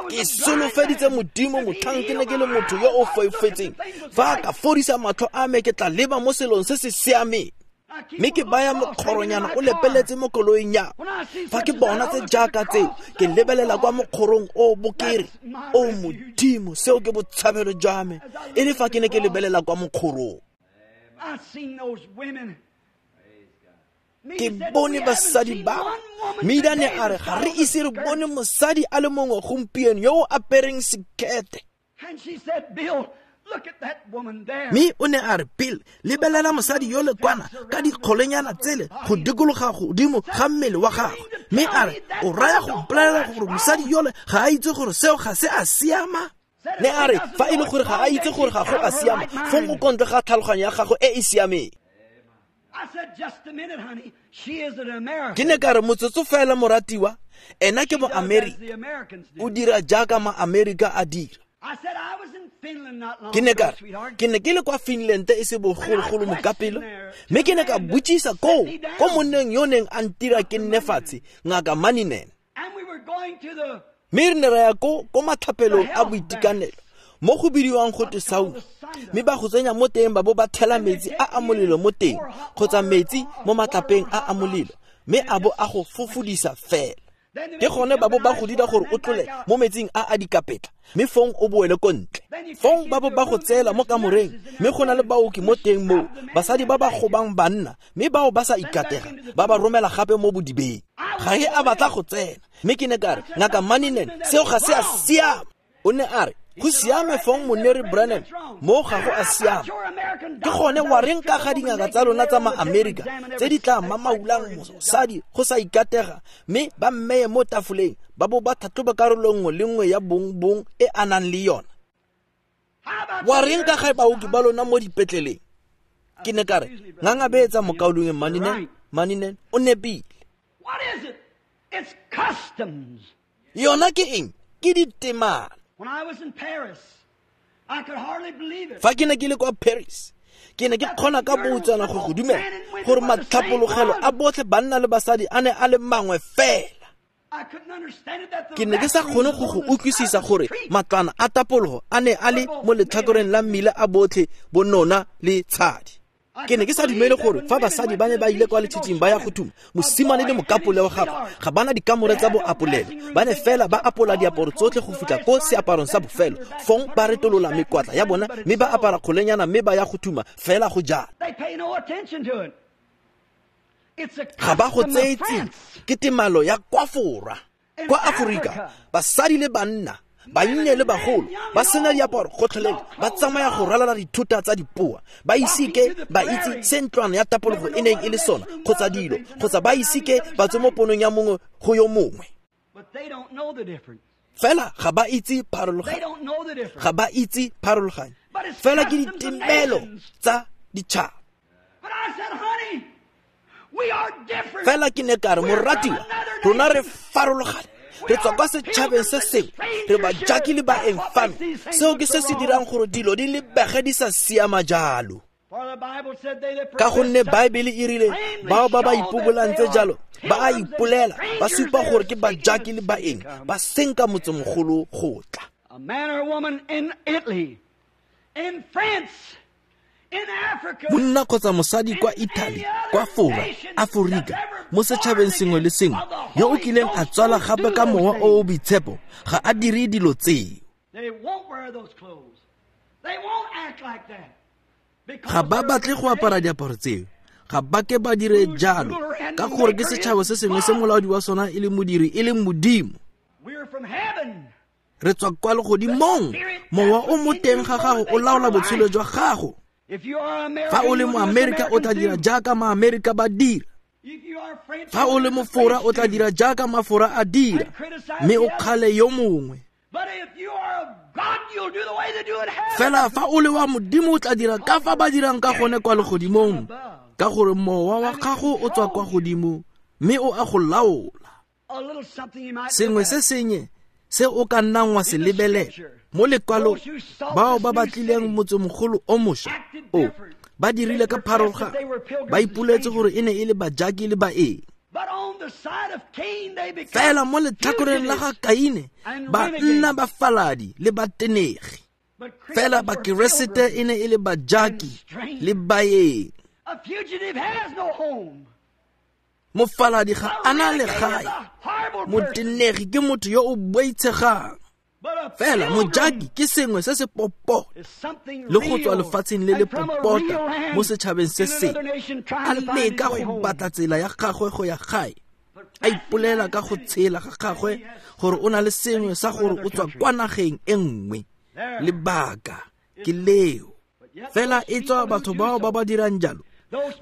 A: Ke solofeditse Modimo motlhang ke ne ke le motho yo o foufetseng, fa a ka fodisa matlho a me ke tla leba mo selong se se siameng. Mme ke baya mokgoronyana o lepeletse mo koloing ya. Fa ke bona tse jaaka tseo, ke lebelela kwa mokgorong o bokere. O Modimo, seo ke botshabelo jwa me. E le fa ke ne ke lebelela kwa mokgorong. Ke bone basadi ba. Mme ne a re ga re ise re bone mosadi a le mongwe gompieno yo o apereng sekete. Mme o ne a re, Bill, lebelela mosadi yo le kwana ka dikgolenyana tsele go dikologa godimo ga mmele wa gagwe. Mme a re, o raya go mpolelela gore mosadi yole ga a itse gore seo ga se a siama? Ne a re, fa e le gore ga a itse gore ga go a siama, fong o kontle ga tlhaloganyo ya gagwe e e siameng. Ke ne ka re, motsotso fela moratiwa, ena ke mo-Amerika, o dira jaaka ma-Amerika a dira. Ke ne ka re, ke ne ke le kwa Finland e se bogologolo mokapelo, mme ke ne ka botsisa koo ko monneng yo neng a ntira ke nne fatshe, Ngaka Maninen. Mme re ne ra ya ko ko matlhapelong a boitekanelo mo go bidiwang go twe sauna, mme ba go tsenya mo teng ba bo ba thela metsi a a molelo mo teng kgotsa metsi mo matlapeng a a molelo, mme a bo a go fofodisa fela. Ke gone ba bo ba go dira gore o tlole mo metsing a a dikapetla, mme fong o boele ko ntle. Fong ba bo ba go tseela mo kamoreng, mme go na le baoki mo teng moo, basadi ba ba gobang banna, mme bao ba sa ikatega, ba ba romela gape mo bodibeng. Ga e a batla go tsena, mme ke ne ka re, Ngaka Maninen, seo ga se a siama. O ne a re, go siame fong Moneri Branham, mo ga go a siama. Ke gone wa reng ka ga dingaka tsa lona tsa ma-Amerika tse di tla mamaulang mosadi go sa ikatega, mme ba mmeye mo tafoleng, ba bo ba tlhatlhoba karolo nngwe le nngwe ya bong bong e a nang le yona. Wa reng ka ga baoki ba lona mo dipetleleng? Ke ne ka re, ngangabetsa mokaulengwe Maninen, Maninen o nepile. Yona ke eng? Ke ditemana. Fa ke ne ke le kwa Paris, ke ne ke kgona ka boutsana go go dumela gore matlhapologelo a botlhe banna le basadi a ne a le mangwe fela. Ke ne ke sa kgone go go utlwisisa gore matlwana a tapologo a ne a le mo letlhakoreng la mmila a botlhe bonona le tshadi. Ke ne ke sa dumele gore fa basadi ba ne ba ile kwa letshitshing ba ya go thuma, mosimane le mokapole wa gagwe ga bana dikamore tsa boapolelo, ba ne fela ba apola diaparo tsotlhe go fitlha ko seaparong sa bofelo, fong ba retolola mekwatla ya bona mme ba apara kgolenyana mme ba ya go thuma fela go jalo. Ga ba go tseye tsia, ke temalo ya kwa Fora. Kwa Aforika, basadi le banna, bannye le bagolo, ba sena diaparo gotlhelele, ba tsamaya go ralala dithota tsa dipoa, ba ise ke ba itse se ntlwana ya tapologo e neng e le sona kgotsa dilo, kgotsa ba ise ke ba tswe mo ponong ya mongwe go yo mongwe. Fela ga ba itse pharologanyo, ga ba itse pharologanyo. Fela ke ditemelo tsa ditšhaba. Fela ke ne ka re, moratiwa, rona re farologane, Re tswa kwa setšhabeng se sengwe, re bajaki le baeng fano. Seo ke se se dirang gore dilo di lebege di sa siama jalo. Ka gonne Baebele e rile bao ba ba ipobolang tse jalo ba a ipolela, ba supa gore ke bajaki le baeng, ba senka motsemogolo go tla.
B: A man or a woman in Italy, in France, in Africa,
A: monna kgotsa mosadi kwa Italy, kwa Fora, Aforika, mo setšhabeng sengwe le sengwe yo o kileng a tswala gape ka mowa o o boitshepo ga a dire dilo tseo.
B: They won't wear those clothes. They won't act like that.
A: Ga ba batle go apara diaparo tseo, ga ba ke ba dire jalo, ka gore ke setšhaba se sengwe se molaodi wa sona e le modiri e leng Modimo.
B: We're from heaven.
A: Re tswa kwa legodimong. Mowa o mo teng ga gago o laola botshelo jwa gago.
B: If you are American,
A: Fa o le Moamerika o tla dira jaaka Maamerika ba dira.
B: If you are French,
A: Fa o le Mofora o tla dira jaaka Mafora a dira, mme o kgale yo mongwe.
B: But if you are of God, you'll do the way they do in heaven.
A: Fela fa o le wa Modimo o tla dira ka fa ba dirang ka gone kwa legodimong, ka gore mowa wa gago o tswa kwa godimo mme o a go laola.
B: A little something you might
A: Sengwe
B: look
A: se
B: at.
A: senye se o ka nnang wa se lebelela mo lekwalong, bao ba batlileng motsemogolo o mošwa o ba dirile ka pharologano, ba ipoletse gore e ne e le bajaki le baeng.
B: But on the side of Cain, they became
A: Fela mo letlhakoreng la ga Kaine ba nna bafaladi le batenegi.
B: But
A: Fela
B: Christians were
A: Bakeresete
B: pilgrims.
A: e ne e le bajaki le baeng.
B: A fugitive has no home.
A: Mofaladi ga
B: A
A: a na
B: renegade is
A: legae.
B: a horrible person.
A: Motenegi ke motho yo o boitshegang.
B: But a
A: Fela
B: pilgrim
A: mojaki ke sengwe se se popota
B: is something
A: le go tswa
B: real
A: lefatsheng le le
B: and from a
A: popota
B: real land
A: mo setšhabeng se
B: in
A: sengwe.
B: another nation
A: A
B: trying to find his
A: leka
B: way
A: go
B: home.
A: batla tsela ya gagwe go ya gae, a ipolela ka go tshela ga gagwe gore o na le sengwe sa gore o tswa kwa nageng e nngwe. Lebaka ke leo. Fela e tswa batho bao ba ba dirang jalo,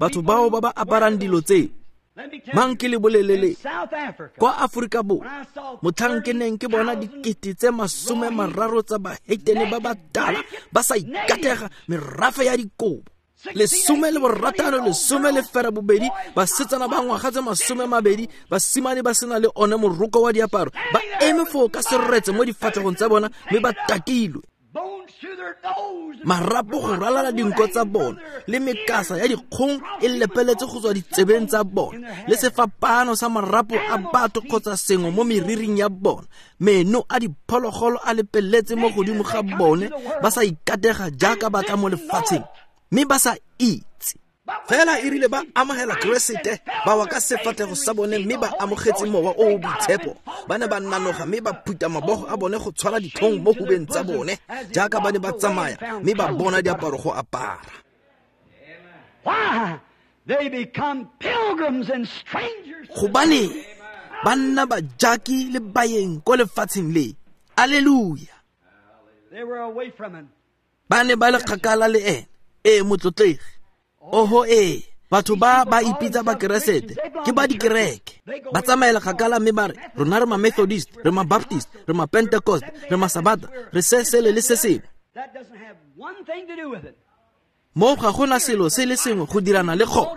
A: batho bao ba ba aparang dilo tseo.
B: Let me tell
A: Mang
B: you,
A: ke le bolelele,
B: in South Africa,
A: kwa Aforika Borwa,
B: when I saw
A: motlhang ke neng ke bona dikete tse masome mararo tsa baheitene ba batala ba sa ikatega, merafe ya dikobo, lesome le boratano, lesome le fera bobedi, basetsana ba ngwaga tse masome mabedi, basimane ba sena le one moroko wa diaparo, ba eme foo ka seretse mo difatlhegong tsa bona mme ba takilwe,
B: bones through their nose,
A: marapo go ralala dinko tsa bona le mekasa ya dikgong e lepeletse go tswa ditsebeng tsa bona, le sefapano sa marapo a batho kgotsa sengwe mo meriring ya bona, meno a diphologolo a lepeletse mo godimo ga bone, ba sa ikatega jaaka ba tla mo lefatsheng mme ba sa itse. Fela e rile ba amogela Keresete, ba wa ka sefatlhego sa bone mme ba amogetse mowa o o boitshepo. Ba ne ba nanoga mme ba phuta mabogo a bone go tshwara ditlhong mo hubeng tsa bone jaaka ba ne ba tsamaya mme ba bona diaparo go apara.
B: Why? They become pilgrims and strangers.
A: Gobane ba nna bajaki le baeng ko lefatsheng le. Alleluia.
B: They were away from him.
A: Ba ne ba le kgakala le ene. Ee, motlotlegi. Oho ee, batho ba ba ipitsa Bakeresete ke ba dikereke, ba tsamaela kgakala mme ba re rona re ma-Methodist, re ma-Baptist, re ma-Pentecost, re ma-Sabata, re se sele le se sengwe.
B: That doesn't have one thing to do with it.
A: Mo ga gona selo se le sengwe go dirana le go.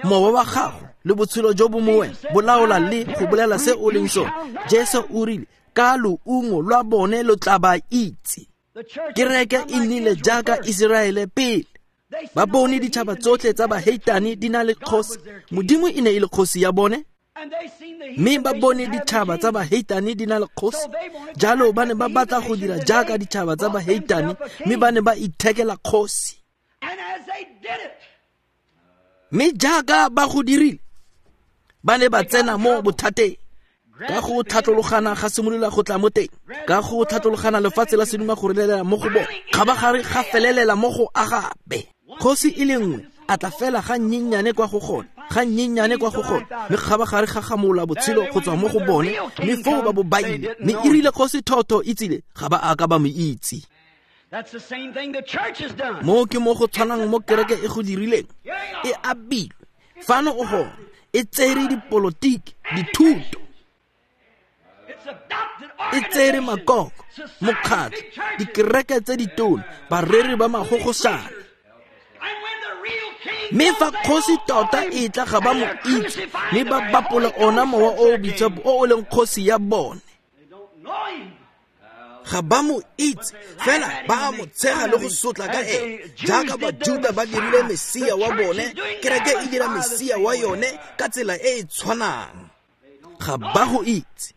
A: Mowa wa gago le botshelo jo bo mo wena bo laola le go bolela se o leng sone. Jesu o rile ka loungo lwa bone lo tla ba itse.
B: The church
A: Kereke e nnile jaaka Iseraele pele.
B: They
A: Ba bone ditšhaba tsotlhe tsa baheitane di na le kgosi. Modimo e ne e le kgosi ya bone,
B: and they seen the
A: mme ba
B: heathen
A: bone
B: nations have
A: ditšhaba
B: a
A: tsa
B: king.
A: baheitane di na le kgosi. Jalo ba ne ba batla go dira jaaka ditšhaba tsa baheitane, mme ba ne ba ithekela kgosi.
B: And as they did it,
A: Mme jaaka ba go dirile, ba ne ba tsena mo bothateng. Ka go tlhatlologana ga simolola go tla mo teng, ka go tlhatlologana lefatshe la seduma go relela mo go bone, kgabagare ga felelela mo go Agabe. Kgosi e le nngwe a tla fela ga nnyenyane kwa go gone, ga nnyenyane kwa go gone, mme kgabagare ga gamola botshelo go tswa mo go bone, mme foo ba bo ba ile. Mme e rile kgosi thotho e tsile, ga ba a ka ba mo itse.
B: that's the same thing the church has done.
A: Mo ke mo go tshwanang mo kereke e go dirileng, e abilwe fano o gone, e tsere dipolotiki, dithuto,
B: It's adopted
A: e tsere
B: organizations,
A: makoko,
B: societies,
A: mokgatlho,
B: big churches.
A: dikereke tse ditona, bareri ba magogosana.
B: And when the real king
A: Mme fa
B: comes, they
A: kgosi
B: all
A: tota
B: him,
A: e tla ga ba
B: and
A: mo
B: they're
A: itse,
B: crucifying
A: mme
B: the
A: ba
B: very
A: bapola
B: Holy
A: ona
B: Ghost
A: mowa
B: that's
A: o o
B: their
A: boitshepo
B: king.
A: o o leng kgosi ya bone. Ga ba mo itse, fela ba mo tshega le go sotla ka ene. Jaaka Bajuda ba dirile Mesia wa bone, kereke e dira Mesia wa yone ka tsela e e tshwanang. Ga ba go itse.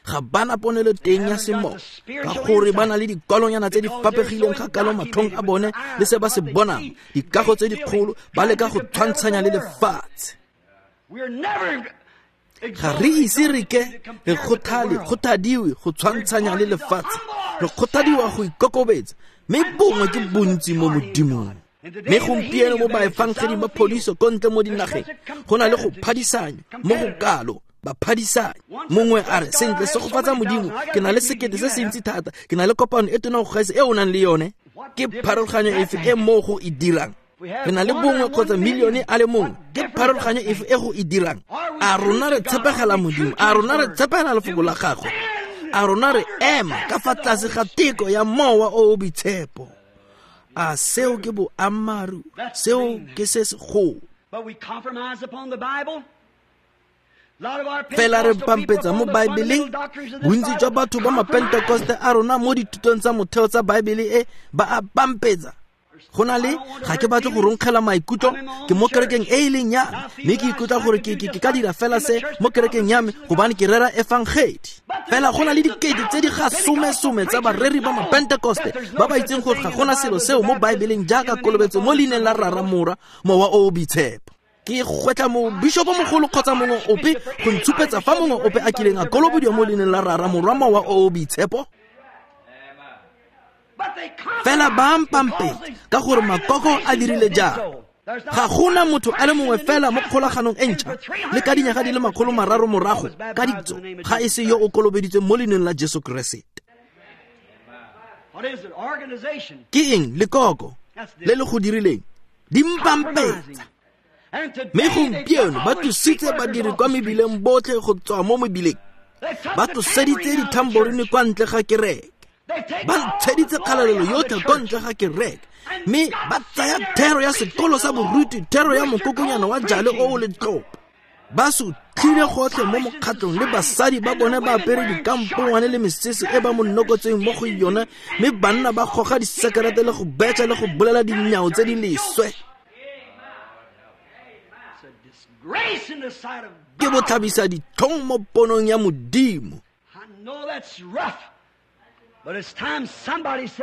A: Ga ba na ponelo teng ya semoya, ka gore ba na le dikwalonyana tse di fapegileng ga kalo matlhong a bone le se ba se bonang, dikago tse dikgolo, ba leka go tshwantshanya le lefatshe. Ga re ise re ke re kgothale kgothadiwe go tshwantshanya le lefatshe, re kgothadiwa go ikokobetsa, mme bongwe ke bontsi mo Modimong. Mme gompieno mo baefangedi ba phodiso ko ntle mo dinageng go na le go phadisanya mo go kalo. Ba phadisanya. Mongwe a re, sentle, segofatsa Modimo, ke na le sekete se se ntsi thata, ke na le kopano e tona go gaisa e o nang le yone. Ke pharologanyo efe e mo go e dirang? Re na le bongwe kgotsa milione a le mongwe, ke pharologanyo efe e go e dirang? A rona re tshepegela Modimo? A rona re tshepegela lefoko la gagwe? A rona re ema ka fa tlase ga teko ya mowa o o boitshepo? A seo ke boammaaruri? Seo ke se segolo. Fela re pampetsa mo Baebeleng. Bontsi jwa batho ba mapentekoste a rona mo dithutong tsa motheo tsa Baebele e ba a pampetsa. Go na le, ga ke batle go ronkgela maikutlo, ke mo kerekeng e e leng ya me, mme ke ikutlwa gore ke ke ka dira fela se mo kerekeng ya me gobane ke rera efangedi. Fela go na le dikete tse di ga somesome tsa bareri ba mapentekoste ba ba itseng gore ga gona selo seo mo Baebeleng jaaka kolobetso mo leineng la Rara, Morwa, Mowa o o Boitshepo. Ke gwetla mo bishopo mogolo kgotsa mongwe ope go ntshupetsa fa mongwe ope a kileng a kolobediwa mo leineng la Rara, Morwa, Mowa o o Boitshepo. Fela ba mpampetsa ka gore makoko a dirile jang. Ga gona motho a le mongwe fela mo kgolaganong e ntšha le ka dinyaga di le makgolo mararo morago ka ditso ga e se yo o kolobeditsweng mo leineng la Jesu Keresete. Ke eng lekoko le le go dirileng? Di mpampetsa. Mme gompieno ba tlositse badiri kwa mebileng botlhe go tswa mo mebileng, ba tloseditse dithamborine kwa ntle ga kereke, ba ntsheditse kgalalelo yotlhe kwa ntle ga kereke, mme ba tsaya thero ya sekolo sa boruti, thero ya mokokonyana wa jale o o letlopo. Ba sutlhile gotlhe mo mokgatlong le basadi ba bone ba apere dikampongwane le mesese e ba mo nokotseng mo go yone, mme banna ba goga disekerete le go betšha le go bolela dinyao tse di leswe. Ke botlhabisa ditlhong mo ponong ya Modimo.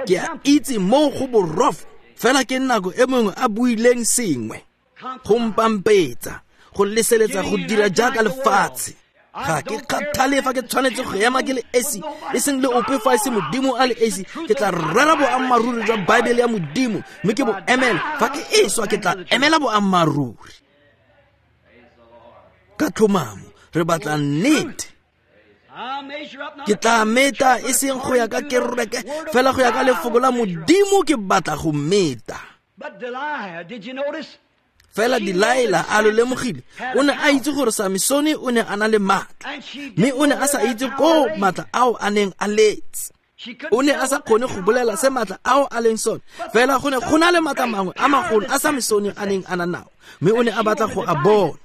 A: Ke a itse mo go borofo, fela ke nako e mongwe a buileng sengwe go mpampetsa, go leseletsa go dira jaaka lefatshe. Ga ke kgathale fa ke tshwanetse go ema ke le esi, e seng le ope fa e se Modimo a le esi. Ke tla rera boammaaruri jwa Baebele ya Modimo, mme ke bo emela. Fa ke eswa ke tla emela boammaaruri. Ka tlhomamo re batla nnete. Ke tla meta e seng go ya ka kereke, fela go ya ka lefoko la Modimo ke batla go meta. Fela Delilah a lo lemogile, o ne a itse gore Samsone o ne a na le maatla, mme o ne a sa itse ko maatla ao a neng a letse. O ne a sa kgone go bolela se maatla ao a leng sone, fela go ne go na le maatla mangwe a magolo a Samsone a neng a na nao, mme o ne a batla go a bona.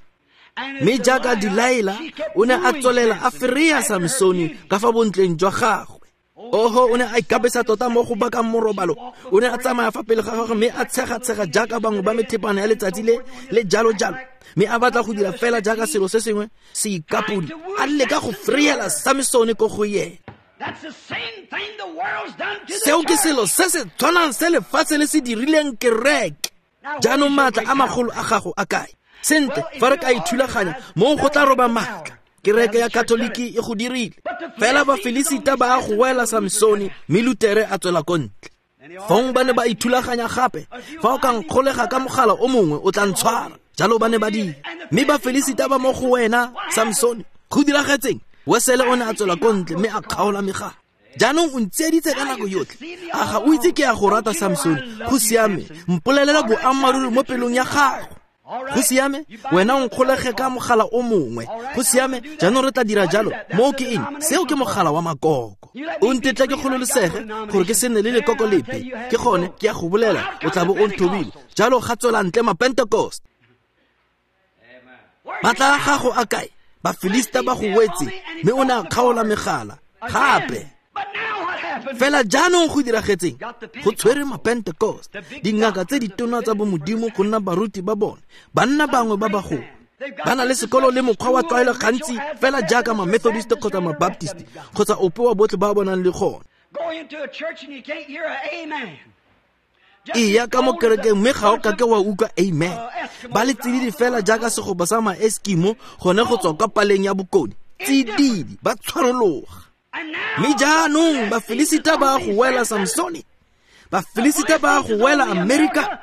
A: Mme jaaka Delilah o ne a tswelela a fereya Samsone ka fa bontleng jwa gagwe. Oho, o ne a ikapesa tota mo go bakang morobalo. O ne a tsamaya fa pele ga gagwe mme a tshega-tshega jaaka bangwe ba methepana ya letsatsi le le jalo-jalo, mme a batla go dira fela jaaka selo se sengwe se ikapodi, a leka go freyela Samsone ko go yena. Seo ke selo se se tshwanang se lefatshe le se dirileng kereke. Jaanong maatla a magolo a gago a kae? Sentle, fa re ka ithulaganya mo go tla roba maatla. Kereke ya Katoliki e go dirile. Fela Bafilisita ba a go wela Samsone, mme Lutere a tswela ko ntle. Fong ba ne ba ithulaganya gape, fa o ka nkgolega ka mogala o mongwe o tla ntshwara. Jalo ba ne ba dira. Mme Bafilisita ba mo go wena Samsone. Go diragetseng? Wesele o ne a tswela ko ntle mme a kgaola megala. Jaanong o ntseeditse ka nako yotlhe. A ga o itse ke ya go rata Samsone? Go siame, mpolelela boammaaruri mo pelong ya gago. Go siame, wena o nkgolege ka mogala o mongwe. Go siame, jaanong re tla dira jalo. Moo ke eng? Seo ke mogala wa makoko. O ntetla ke kgololosege gore ke se nne le lekoko lepe. Ke gone ke ya go bolela, o tla bo o nthobile. Jalo ga tswela ntle Mapentekoste. Maatla a gago a kae? Bafilista ba go wetse, mme o ne a kgaola megala. Gape. Fela jaanong go diragetseng go tshwere mapentecost, dingaka tse ditona tsa bomodimo go nna baruti ba bone, banna bangwe ba bagolo. Ba na le sekolo le mokgwa wa tlwaelo gantsi fela jaaka ma-Methodist kgotsa ma-Baptist kgotsa ope wa botlhe ba bonang le gone. Eya ka mo kerekeng mme ga o kake wa utlwa amen. Ba le tsididi fela jaaka segopa sa ma-Eskimo gone go tswa kwa paleng ya bokone. Tsididi, ba tshwarologa. Mme jaanong Bafilisita ba go wela Samsone, Bafilisita ba go wela Amerika.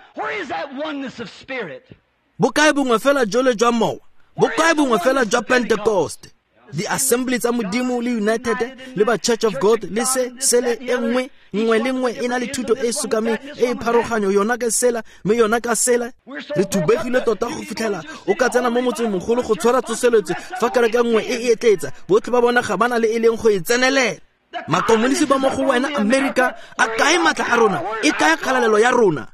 A: Bokae bongwe fela jole jwa mowa, bokae bongwe fela jwa Pentecost, di-assembly tsa Modimo le United le ba Church of God le se sele e nngwe nngwe le nngwe e na le thuto e e sokameng e e pharoganyo, yona ka sela mme yona ka sela. Re thubegile tota go fitlhela o ka tsena mo motseng mogolo go tshwara tsoseletso fa kereke nngwe e e etletsa, botlhe ba bona ga ba na le e leng go e tsenelela. Makomonisi ba mo go wena Amerika, a kae matla a rona, e kae kgalalelo ya rona?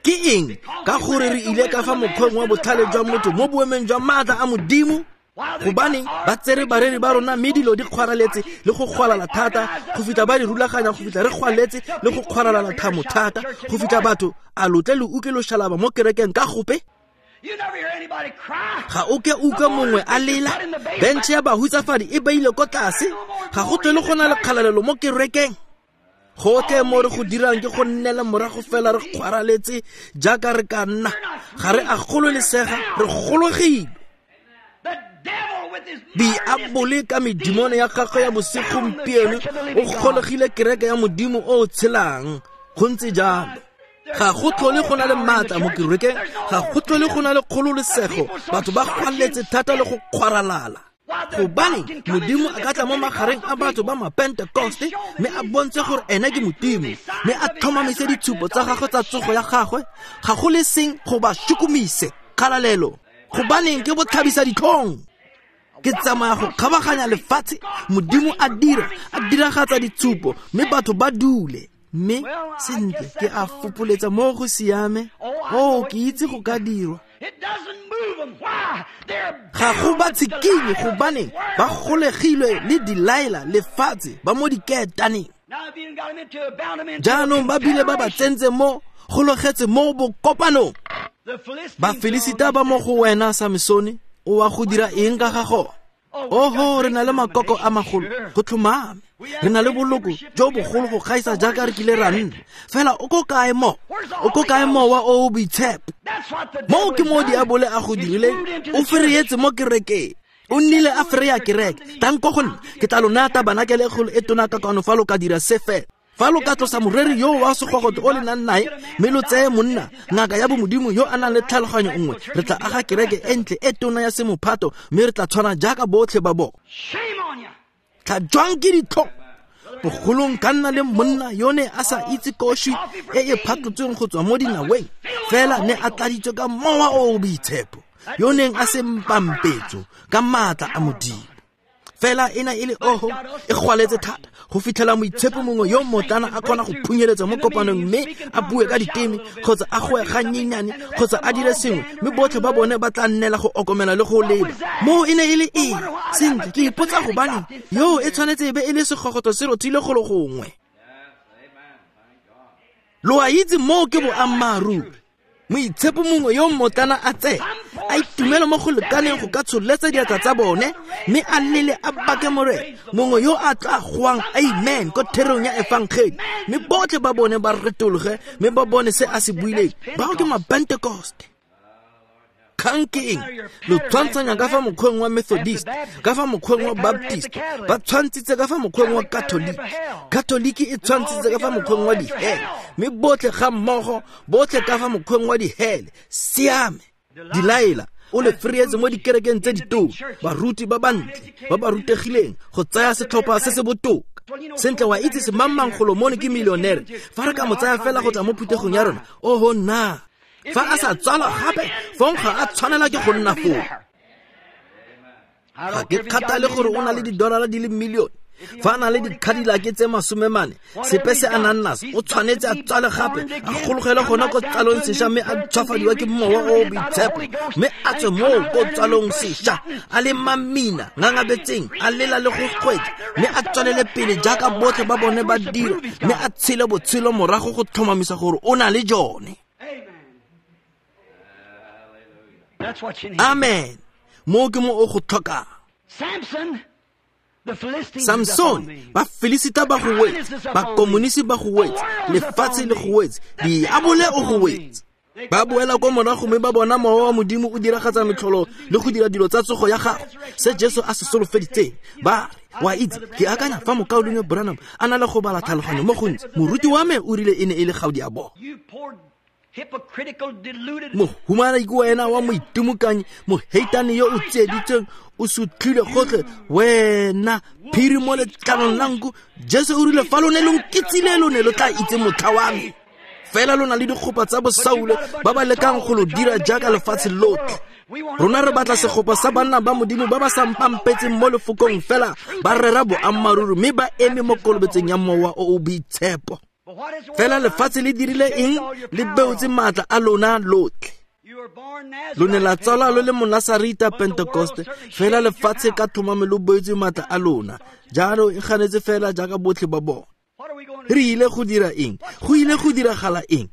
A: Ke eng? Ka gore re ile ka fa mokgweng wa botlhale jwa motho mo boemeng jwa maatla a Modimo. Gobane ba tsere bareri ba rona mme dilo di kgwaraletse le go kgwalala thata go fitlha ba di rulaganya, go fitlha re kgwaletse le go kgwaralala thamo thata go fitlha batho a lotle le utlwe loshalaba mo kerekeng ka gope. Ga o ke utlwe mongwe a lela, bentšhe ya bahutsafadi e beile ko tlase, ga go tlhole go na le kgalalelo mo kerekeng. Gotlhe mo re go dirang ke go nnela morago fela re kgwaraletse jaaka re ka nna, ga re a gololesega, re gologile. Diabole ka medimone ya gagwe ya bosegompieno o golegile kereke ya Modimo o o tshelang. Go ntse jalo. Ga go tlhole go na le maatla mo kerekeng, ga go tlhole go na le kgololesego, batho ba kgwaletse thata le go kgwaralala. Gobane Modimo a ka tla mo magareng a batho ba mapentecoste mme a bontshe gore ene ke Modimo, mme a tlhomamise ditshupo tsa gagwe tsa tsogo ya gagwe, ga go le seng go ba shukumise kgalalelo. Gobaneng ke botlhabisa ditlhong. Ke tsamaya go kgabaganya lefatshe, Modimo a dira, a diragatsa ditshupo mme batho ba dule. Mme sentle ke a fopoletsa mo go siame, oh ke itse go ka dirwa. Ga go ba tshikinye gobane ba golegilwe le Delilah lefatshe ba mo diketaneng. Jaanong ba bile ba ba tsentse mo gologetse mo bokopanong. Bafilisita ba mo go wena Samsone, o wa go dira eng ka ga gone? Oho, re na le makoko a magolo, go tlhomame. Re na le boloko jo bogolo go gaisa jaaka re kile ra nna. Fela o ko kae mo? O ko kae mowa o o boitshepo? Moo ke mo diabole a go dirileng, o fereetse mo kerekeng. O nnile a fereya kereke. Tlang ko go nna, ke tla lo naya tabanakele e kgolo e tona ka kwano fa lo ka dira se fela. Fa lo ka tlosa moreri yo wa segogoto o le nang nae mme lo tseye monna ngaka ya bomodimo yo a nang le tlhaloganyo nngwe, re tla aga kereke e ntle e tona ya semophato mme re tla tshwana jaaka botlhe ba bona. Tla jwang ke ditlhong bogolong ka nna le monna yo ne a sa itse koši e e phatlotsweng go tswa mo dinaweng, fela ne a tladitswe ka mowa o o boitshepo, yo neng a se mpampetso ka maatla a Modimo. Fela ena e le oho e kgwaletse thata go fitlhela moitshepo mongwe yo mmotlana a kgona go phunyeletsa mo kopanong mme a bue ka diteme kgotsa a goe gannyenyane kgotsa a dire sengwe, mme botlhe ba bone ba tla nnela go okomela le go leba. Moo e ne e le eng? Sentle, ke ipotsa gobane yo e tshwanetse e be e le segogoto se rothile golo gongwe. Lo a itse moo ke boammaaruri. Moitshepo mongwe yo mmotlana a tseye a itumela mo go lekaneng go ka tsholetsa diatla tsa bone mme a lele a bake Morena, mongwe yo a tla goang amen ko therong ya efangedi, mme botlhe ba bone ba retologe mme ba bone se a se buileng. Bao ke mapentecoste. Kgang ke eng? Lo tshwantshanya ka fa mokgweng wa Methodist, ka fa mokgweng wa Baptist, ba tshwantshitse ka fa mokgweng wa Catholic, Catholic e tshwantshitse ka fa mokgweng wa dihele, mme botlhe ga mmogo, botlhe ka fa mokgweng wa dihele. Siame. Delilah o le fereetse mo dikerekeng tse ditona, baruti ba bantle ba ba rutegileng go tsaya setlhopha se se botoka. Sentle wa itse semangmang Golomone ke millionaire, fa re ka mo tsaya fela go tla mo phuthegong ya rona, oho nna. Fa a sa tswalwa gape, fong ga a tshwanela ke go nna foo. Ga ke kgathale gore o na le didolara di le millione. Fa a na le dikhadilake tse masomemane, sepe se a nang naso, o tshwanetse a tswale gape, a gologele gona ko tsalong sešwa mme a tshwafadiwa ke Mowa o o Boitshepo, mme a tswe moo ko tsalong sešwa, a le mamina, ngangabetseng, a lela le go kgwetla, mme a tswelele pele jaaka botlhe ba bone ba dira, mme a tshele botshelo morago go tlhomamisa gore o na le jone. Amen. Mo ke mo o go tlhokang. Samson, ba Filisita ba go wetse, ba komunisi ba go wetse, lefatshe le go wetse, diabole o go wetse. Ba boela kwa morago mme ba bona Mowa wa Modimo o diragatsa metlholo le go dira dilo tsa tsogo ya gagwe, se Jesu a se solofeditseng. Ba re, wa itse, ke akanya fa mokaulengwe Branham a na le go bala tlhaloganyo mo gontsi, moruti wa me o rile e ne e le gaudi a bona. Mohumana ke wena wa moitimokanyi, moheitane yo o tsieditsweng, o sutlhile gotlhe, wena phiri mo letlalong la nku. Jesu o rile fa lo ne lo nkitsile, lo ne lo tla itse motlha wa me. Fela lo na le dikgopa tsa bosaule ba ba lekang go lo dira jaaka lefatshe lotlhe. Rona re batla segopa sa banna ba Modimo ba ba sa mpampetseng mo lefokong fela, ba rera boammaaruri mme ba eme mo kolobetseng ya Mowa o o Boitshepo. Fela lefatshe le dirile eng? Le beotse maatla a lona lotlhe. Lo ne la tsalwa lo le Monasarita Pentekoste, fela lefatshe ka tlhomamo lo beotse maatla a lona. Jalo e ganetse fela jaaka botlhe ba bona. Re ile go dira eng? Go ile go diragala eng?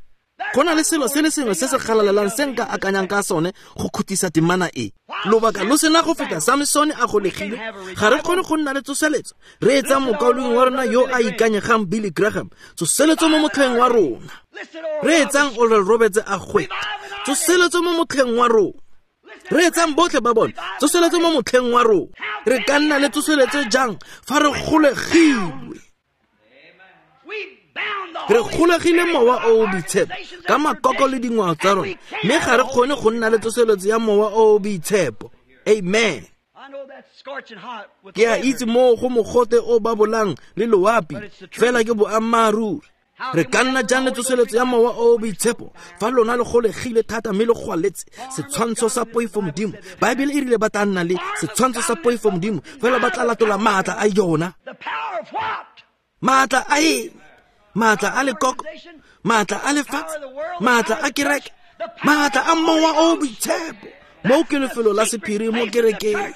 A: Go na le selo se le sengwe se se galalelang se nka akanyang ka sone go khutisa temana e. Lobaka lo sena go feta Samsone a golegile, ga re kgone go nna le tsoseletso. Re etsa mokaulengwe wa rona yo a ikanyegang Billy Graham, tsoseletso mo motlheng wa rona. Re etsang Oral Roberts a gweta, tsoseletso mo motlheng wa rona. Re etsang botlhe ba bone, tsoseletso mo motlheng wa rona. Re ka nna le tsoseletso jang fa re golegilwe? Re golegile Mowa o o Boitshepo ka makoko le dingwao tsa rona, mme ga re kgone go nna le tsoseletso ya Mowa o o Boitshepo. Amen. Ke a itse moo go mogote o babolang le loapi, fela ke boammaaruri. Re ka nna jang le tsoseletso ya Mowa o o Boitshepo fa lona le golegile thata mme le gwaletse setshwantsho sa poifo Modimo? Baebele e rile ba tla nna le setshwantsho sa poifo Modimo, fela ba tla latola maatla a yona. Maatla a eng? Maatla a lekoko, maatla a lefatshe, maatla a kereke, maatla a Mowa o o Boitshepo. Mo ke lefelo la sephiri mo kerekeng.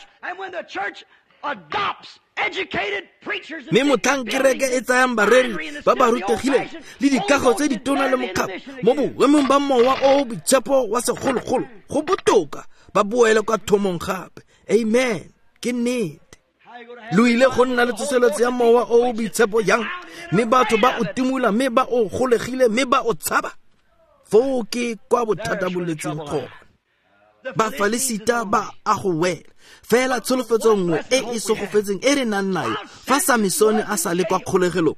A: Mme motlhang kereke e tsayang bareri ba ba rutegileng le dikago tse ditona le mokgapo mo boemong ba Mowa o o Boitshepo wa segologolo, go botoka ba boele kwa thomong gape. Amen. Ke nnete. Lo ile go nna le tsoseletso ya Mowa o o Boitshepo yang? Mme batho ba o timola, mme ba o golegile, mme ba o tshaba. Foo ke kwa bothata bo letseng gone. Bafalisita ba a go wela. Fela tsholofetso nngwe e e segofetseng e re nang nayo fa Samsone a sa le kwa kgolegelong.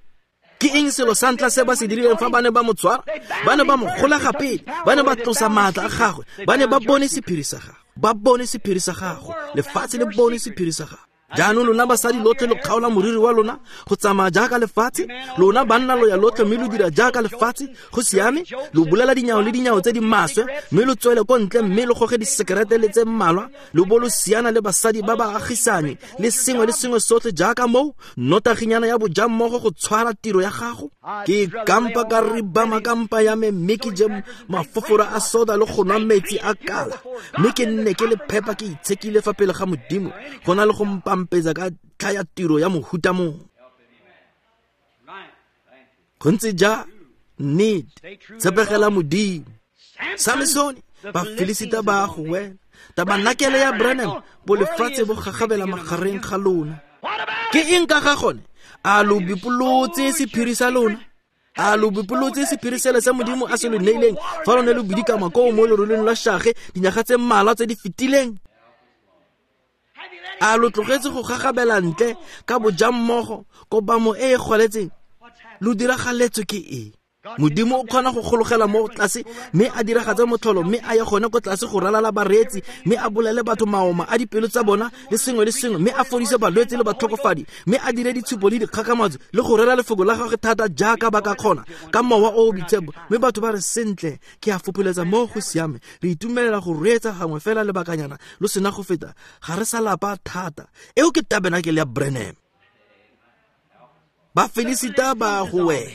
A: Ke eng selo sa ntlha se ba se dirileng fa ba ne ba mo tshwara? Ba ne ba mo golega pele, ba ne ba tlosa maatla a gagwe, ba ne ba bone sephiri sa gagwe, ba bone sephiri sa gagwe, lefatshe le bone sephiri sa gagwe. Jaanong lona basadi lotlhe lo kgaola moriri wa lona go tsamaya jaaka lefatshe, lona banna lo ya lotlhe mme lo dira jaaka lefatshe, go siame, lo bolela dinyao le dinyao tse di maswe, mme lo tswele ko ntle mme lo goge disekerete le tse mmalwa, lo bo lo siana le basadi ba ba agisane le sengwe le sengwe sotlhe jaaka moo, notaginyana ya bojammogo go tshwara tiro ya gago. Ke kampa ka ribama kampa ya me mme ke je mafofora a soda le go nwa metsi a kala, mme ke nne ke le phepa ke itshekile fa pele ga Modimo, go na le go mpampetsa ka ntlha ya tiro ya mohuta mongwe. Go ntse ja nnete, tshepegela Modimo. Samsone, Bafilisita ba go wela. Tabanakele ya Branham, bo lefatshe bo gagabela magareng ga lona. Ke eng ka ga gone? A lo bipolotse sephiri sa lona? A lo bipolotse sephiri sele sa Modimo a se lo neileng fa lo ne lo bidikama koo mo loroleng lwa shage dinyaga tse mmalwa tse di fetileng? A lo tlogetse go gagabela ntle ka bojammogo kobamo e e gwaletseng? Lo diragaletswe ke eng? Modimo o kgona go gologela mo tlase mme a diragatse motlholo, mme a ye gone ko tlase go ralala bareetsi, mme a bolele batho maoma a dipelo tsa bona le sengwe le sengwe, mme a fodise balwetse le batlhokofadi, mme a dire ditshupo le dikgakgamatso le go rera lefoko la gagwe thata jaaka ba ka kgona ka Mowa o o Boitshepo. Mme batho ba re, sentle, ke a fopholetsa mo go siame, re itumelela go reetsa gangwe fela lebakanyana lo sena go feta, ga re sa lapa thata. Eo ke tabenakele ya Branham. Bafilisita ba a go wela.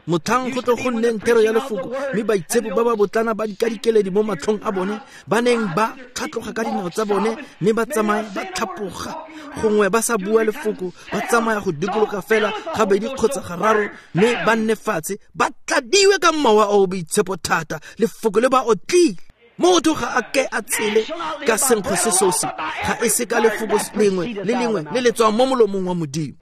A: Motlhang go tlo go nneng thero ya lefoko, mme baitshepo ba ba botlana ba dikadikeledi mo matlhong a bone, ba neng ba tlhatloga ka dinao tsa bone, mme ba tsamaya ba tlhapoga, gongwe ba sa bua lefoko, ba tsamaya go dikologa fela gabedi kgotsa gararo, mme ba nne fatshe, ba tladiwe ka mowa o o boitshepo thata, lefoko le ba otlile. Motho ga a ke a tshele ka senkgwe se sosi, ga e se ka lefoko lengwe le lengwe le le tswang mo molomong wa Modimo.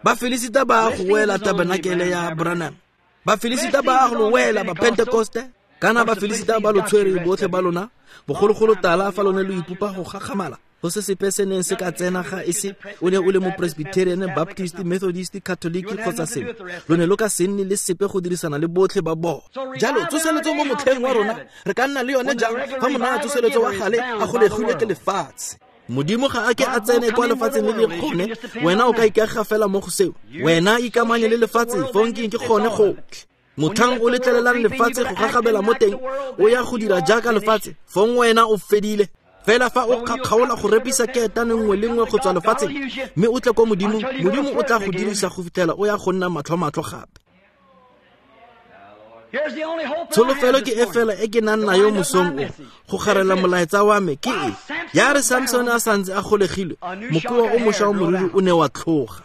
A: Bafilisita ba go wela tabernacle ya Branham. Bafilisita ba go wela ba Pentecoste. Kana Bafilisita ba lo tshwere botlhe ba lona, bogologolo tala fa lone lo ipopa go gakgamala. Go se sepe se neng se ka tsena ga e se o ne o le mo Presbyterian, Baptist, Methodist, Catholic kgotsa sengwe. Lo ne lo ka se nne le sepe go dirisana le botlhe ba bona. Jalo tsoseletso mo motlheng wa rona re ka nna le yone jang fa monna a tsoseletso wa gale a golegilwe ke lefatshe? Modimo ga a ke a tsene kwa lefatsheng le le gone, wena o ka ikaega fela mo go seo. Wena ikamanye le lefatshe, fong ke gone gotlhe. Motlhang o letlelelang lefatshe go gagabela mo teng, o ya go dira jaaka lefatshe, fong wena o fedile. Fela fa o kgaola go repisa ketane nngwe le nngwe go tswa lefatsheng, mme o tle kwa Modimong, Modimo o tla go dirisa go fitlhela o ya go nna matlho-matlho gape. Tsholofelo ke e fela e ke nang nayo mosong o, go garela molaetsa wa me ke e. Ya re Samson a santse a golegilwe, mokoa o mošwa wa moriri o ne wa tlhoga.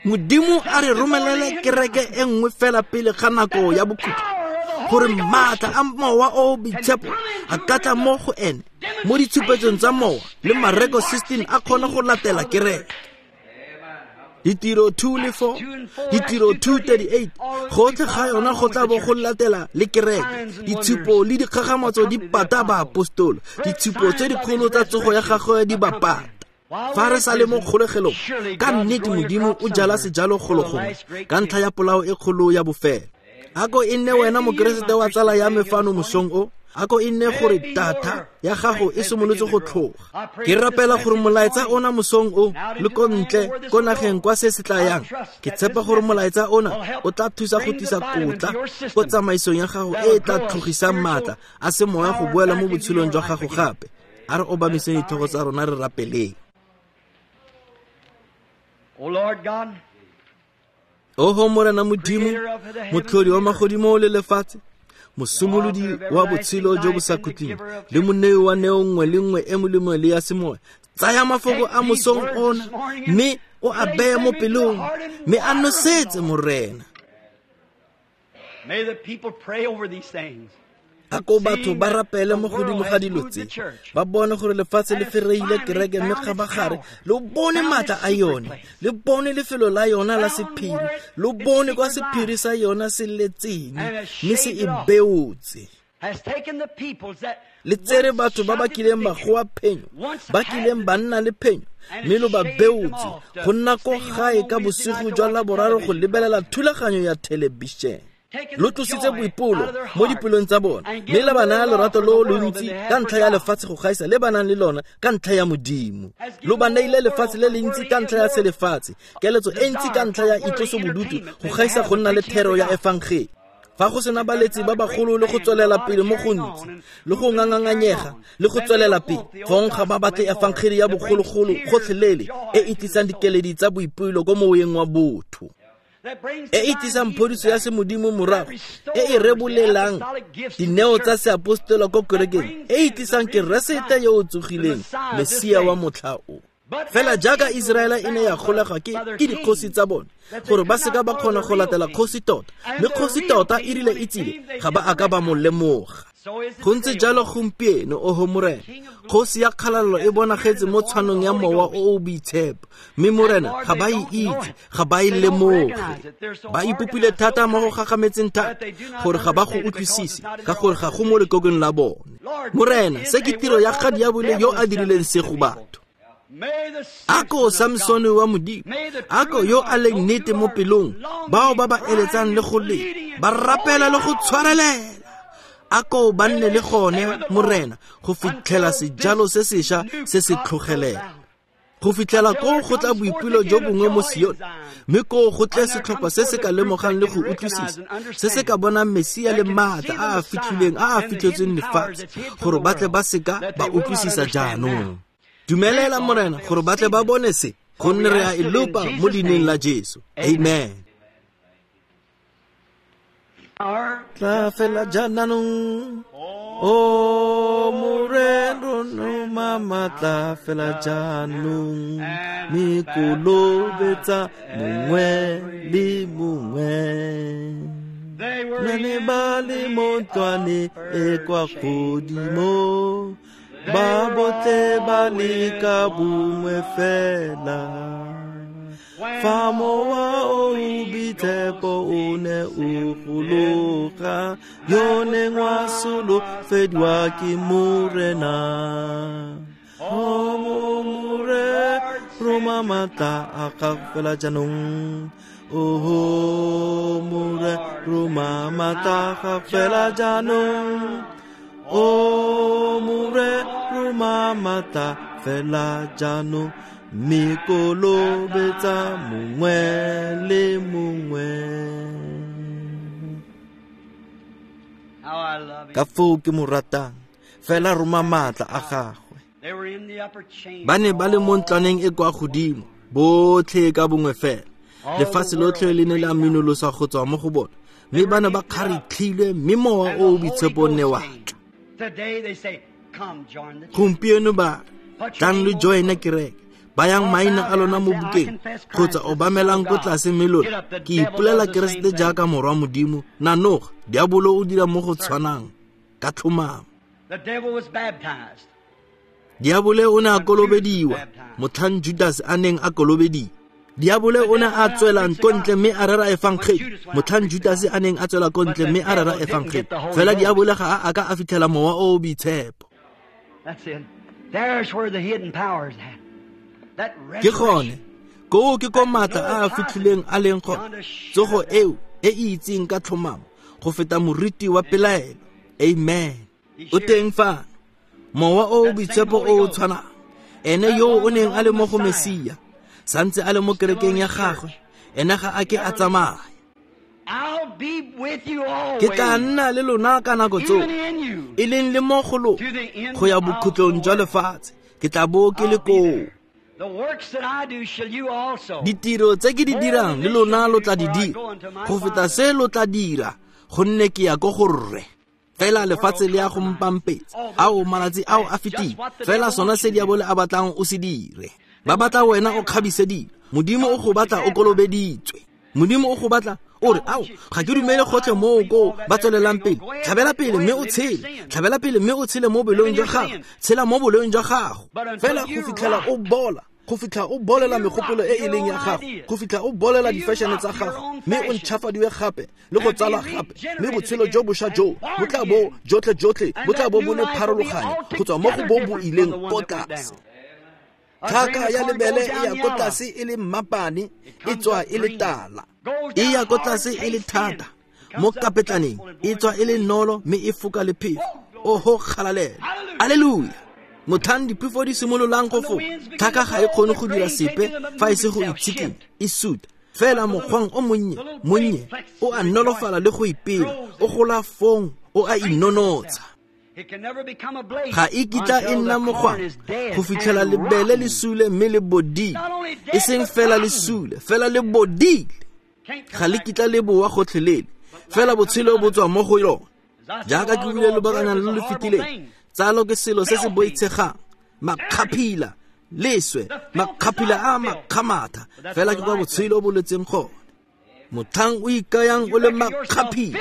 A: Modimo a re romelele kereke e nngwe fela pele ga nako ya bokhutlo, gore maatla a mowa o o boitshepo a ka tla mo go ene, mo ditshupetsong tsa mowa le Mareko sixteen a kgone go latela kereke. Ditiro two le four, ditiro two thirty-eight, gotlhe ga yona go tla bo go latela le kereke. Ditshupo le dikgakgamatso di pata baapostolo, ditshupo tse dikgolo tsa tsogo ya gagwe di ba pata. Fa re sa le mo kgolegelong, ka nnete Modimo o jala sejalo golo gongwe ka ntlha ya polao e kgolo ya bofelo. Ako e nne wena mokeresete wa tsala ya me fano mosong o, ako e nne gore data ya gago e simolotse go tlhoga. Ke rapela gore molaetsa ona mosong o le ko ntle ko nageng kwa se se tla yang. Ke tshepa gore molaetsa ona o tla thusa go tlisa kotla ko tsamaisong ya gago e e tla tlhogisang maatla a semoya go boela mo botshelong jwa gago gape. A re obamiseng ditlhogo tsa rona re rapeleng.
B: O Lord God,
A: Oho Morena Modimo, motlhodi wa magodimo le lefatshe, mosimolodi wa botshelo jo bo sa khutleng, le monei wa neo nngwe le nngwe e molemo le ya semoya, tsaya mafoko a mosong ona, mme o a beye mo pelong, mme a nosetse Morena.
B: May the people pray over these things.
A: A ko batho ba rapele mo godimo ga dilo tse, ba bone gore lefatshe le fereile kereke, mme kgabagare lo bone maatla a yone, le bone lefelo la yona la sephiri, lo bone kwa sephiri sa yona se letseng, mme se e beotse. Le tsere batho ba ba kileng ba goa phenyo, ba kileng ba nna le phenyo, mme lo ba beotse go nna ko gae ka bosigo jwa Laboraro go lebelela thulaganyo ya thelebišene. Lo tlositse boipolo mo dipelong tsa bona, mme le ba naya lorato lo lontsi ka ntlha ya lefatshe go gaisa le ba nang le lona ka ntlha ya Modimo. Lo ba neile lefatshe le le ntsi ka ntlha ya selefatshe, keletso e ntsi ka ntlha ya itlosobodutu go gaisa go nna le thero ya efangele. Fa go sena baletsi ba bagolo le go tswelela pele mo gontsi, le go nganganganyega le go tswelela pele, fong ga ba batle efangele ya bogologolo gotlhelele e e tlisang dikeledi tsa boipelo ko moweng wa botho, e e tlisang phodiso ya semodimo morago, e e rebolelang dineo tsa seapostolo ko kerekeng, e e tlisang Keresete yo o tsogileng, Mesia wa motlha o. Fela jaaka Iseraele e ne ya golegwa ke ke dikgosi tsa bone, gore ba seka ba kgona go latela kgosi tota, mme kgosi tota e rile e tsile, ga ba a ka ba mo lemoga. Go ntse jalo gompieno, oho Morena, kgosi ya kgalalelo e bonagetse mo tshwanong ya mowa o o boitshepo, mme Morena ga ba e itse, ga ba e lemoge. Ba ipopile thata mo go gagametseng thata gore ga ba go utlwisise, ka gore ga go mo lekokong la bone. Morena, se ke tiro ya ga diabolo yo a dirileng se go batho. Ako Samson wa Modimo, ako yo a leng nnete mo pelong, bao ba ba eletsang le go le, ba rapela le go tshwarelela. Ako ba nne le gone, Morena, go fitlhela sejalo se sešwa se se tlhogelela. Go fitlhela koo go tla boipelo jo bongwe mo Sione, mme koo go tle setlhopha se se ka lemogang le go utlwisisa, se se ka bonang Mesia le maatla a a fitlhileng a a fitlhetsweng lefatshe, gore ba tle ba seka ba utlwisisa jaanong. Dumelela Morena gore ba tle ba bone se, gonne re a e lopa mo leineng la Jesu. Amen. Tla fela jaanong, o Morena roma maatla fela jaanong, mme kolobetsa mongwe le mongwe. Ba ne ba le mo ntlwaneng e kwa godimo, ba botlhe ba le ka bongwe fela. Fa mowa o boitshepo o ne o gologa, yo neng wa solofediwa ke Morena. O Morena roma maatla a gago fela jaanong, oho Morena roma maatla a gago fela jaanong, o Morena roma maatla fela jaanong, mme kolobetsa mongwe le mongwe. Ka foo ke mo ratang, fela roma maatla a gagwe. Ba ne ba le mo ntlwaneng e kwa godimo, botlhe ka bongwe fela. Lefatshe lotlhe le ne la minolosa go tswa mo go bona, mme ba ne ba kgaritlhilwe, mme mowa o o boitshepo ne wa tla. Gompieno ba re, tlang lo join-e kereke, bayang maina a lona mo bukeng, kgotsa obamelang ko tlase mme lona, ke ipolela Keresete jaaka morwa Modimo. Nanoga, diabolo o dira mo go tshwanang ka tlhomamo. Diabole o ne a kolobediwa motlhang Judas a neng a kolobediwa. Diabole o ne a tswela ko ntle mme a rera efangeli motlhang Judas a neng a tswela ko ntle mme a rera efangeli. Fela diabole ga a ka a fitlhela mowa o o boitshepo. Ke gone koo ke ko maatla a a fitlhileng a leng gone, tsogo eo e e itseng ka tlhomamo go feta moriti wa pelaelo. Amen. O teng fano mowa o o boitshepo o o tshwanang, ene yo o neng a le mo go Mesia, santse a le mo kerekeng ya gagwe, ene ga a ke a tsamaya. Ke tla nna le lona ka nako tsotlhe, e leng le mo go lona, go ya bokhutlong jwa lefatshe, ke tla bo ke le koo. Ditiro tse ke di dirang le lona lo tla di dira, go feta se lo tla dira, gonne ke ya ko go Rre. Fela lefatshe le ya go mpampetsa, ao malatsi ao a fetile, fela sona se diabole a batlang o se dire. Ba batla wena o kgabise dilo, Modimo o go batla o kolobeditswe. Modimo o go batla o re, ao ga ke dumele gotlhe moo koo ba tswelelang pele. Tlhabela pele mme o tshele, tlhabela pele mme o tshele mo boleng jwa gago, tshela mo boleng jwa gago. Fela go fitlhela o bola, go fitlha o bolela megopolo e e leng ya gago, go fitlha o bolela di-fashion tsa gago, mme o ntšhafadiwe gape le go tsala gape, mme botshelo jo bošwa jo bo tla bo jotlhe jotlhe bo tla bo bo le pharologanyo go tswa mo go bo bo ileng ko tlase. Tlhaka ya lebele e ya ko tlase e le mmapane, e tswa e le tala, e ya ko tlase e le thata mo kapetlaneng, e tswa e le nolo mme e foka le phefo. Oho kgalalelo, aleluya. Motlhang diphefo di simololang go foka, tlhaka ga e kgone go dira sepe fa e se go itshikinya, e suta. Fela mokgwang o monnye monnye o a nolofala le go ipela, o gola fong o a inonotsha. Ga e kitla e nna mogwang go fitlhela lebele le sule mme le bodile, e seng fela le sule, fela le bodile. Ga le kitla le boa gotlhelele, fela botshelo bo tswa mo go yone. Jaaka ke buile lobakanyana lo lo fetileng, tsalo ke selo se se boitshegang, makgaphila, leswe, makgaphila a makgamatha, fela ke kwa botshelo bo letseng gone. Motlhang o ikayang o le makgaphila,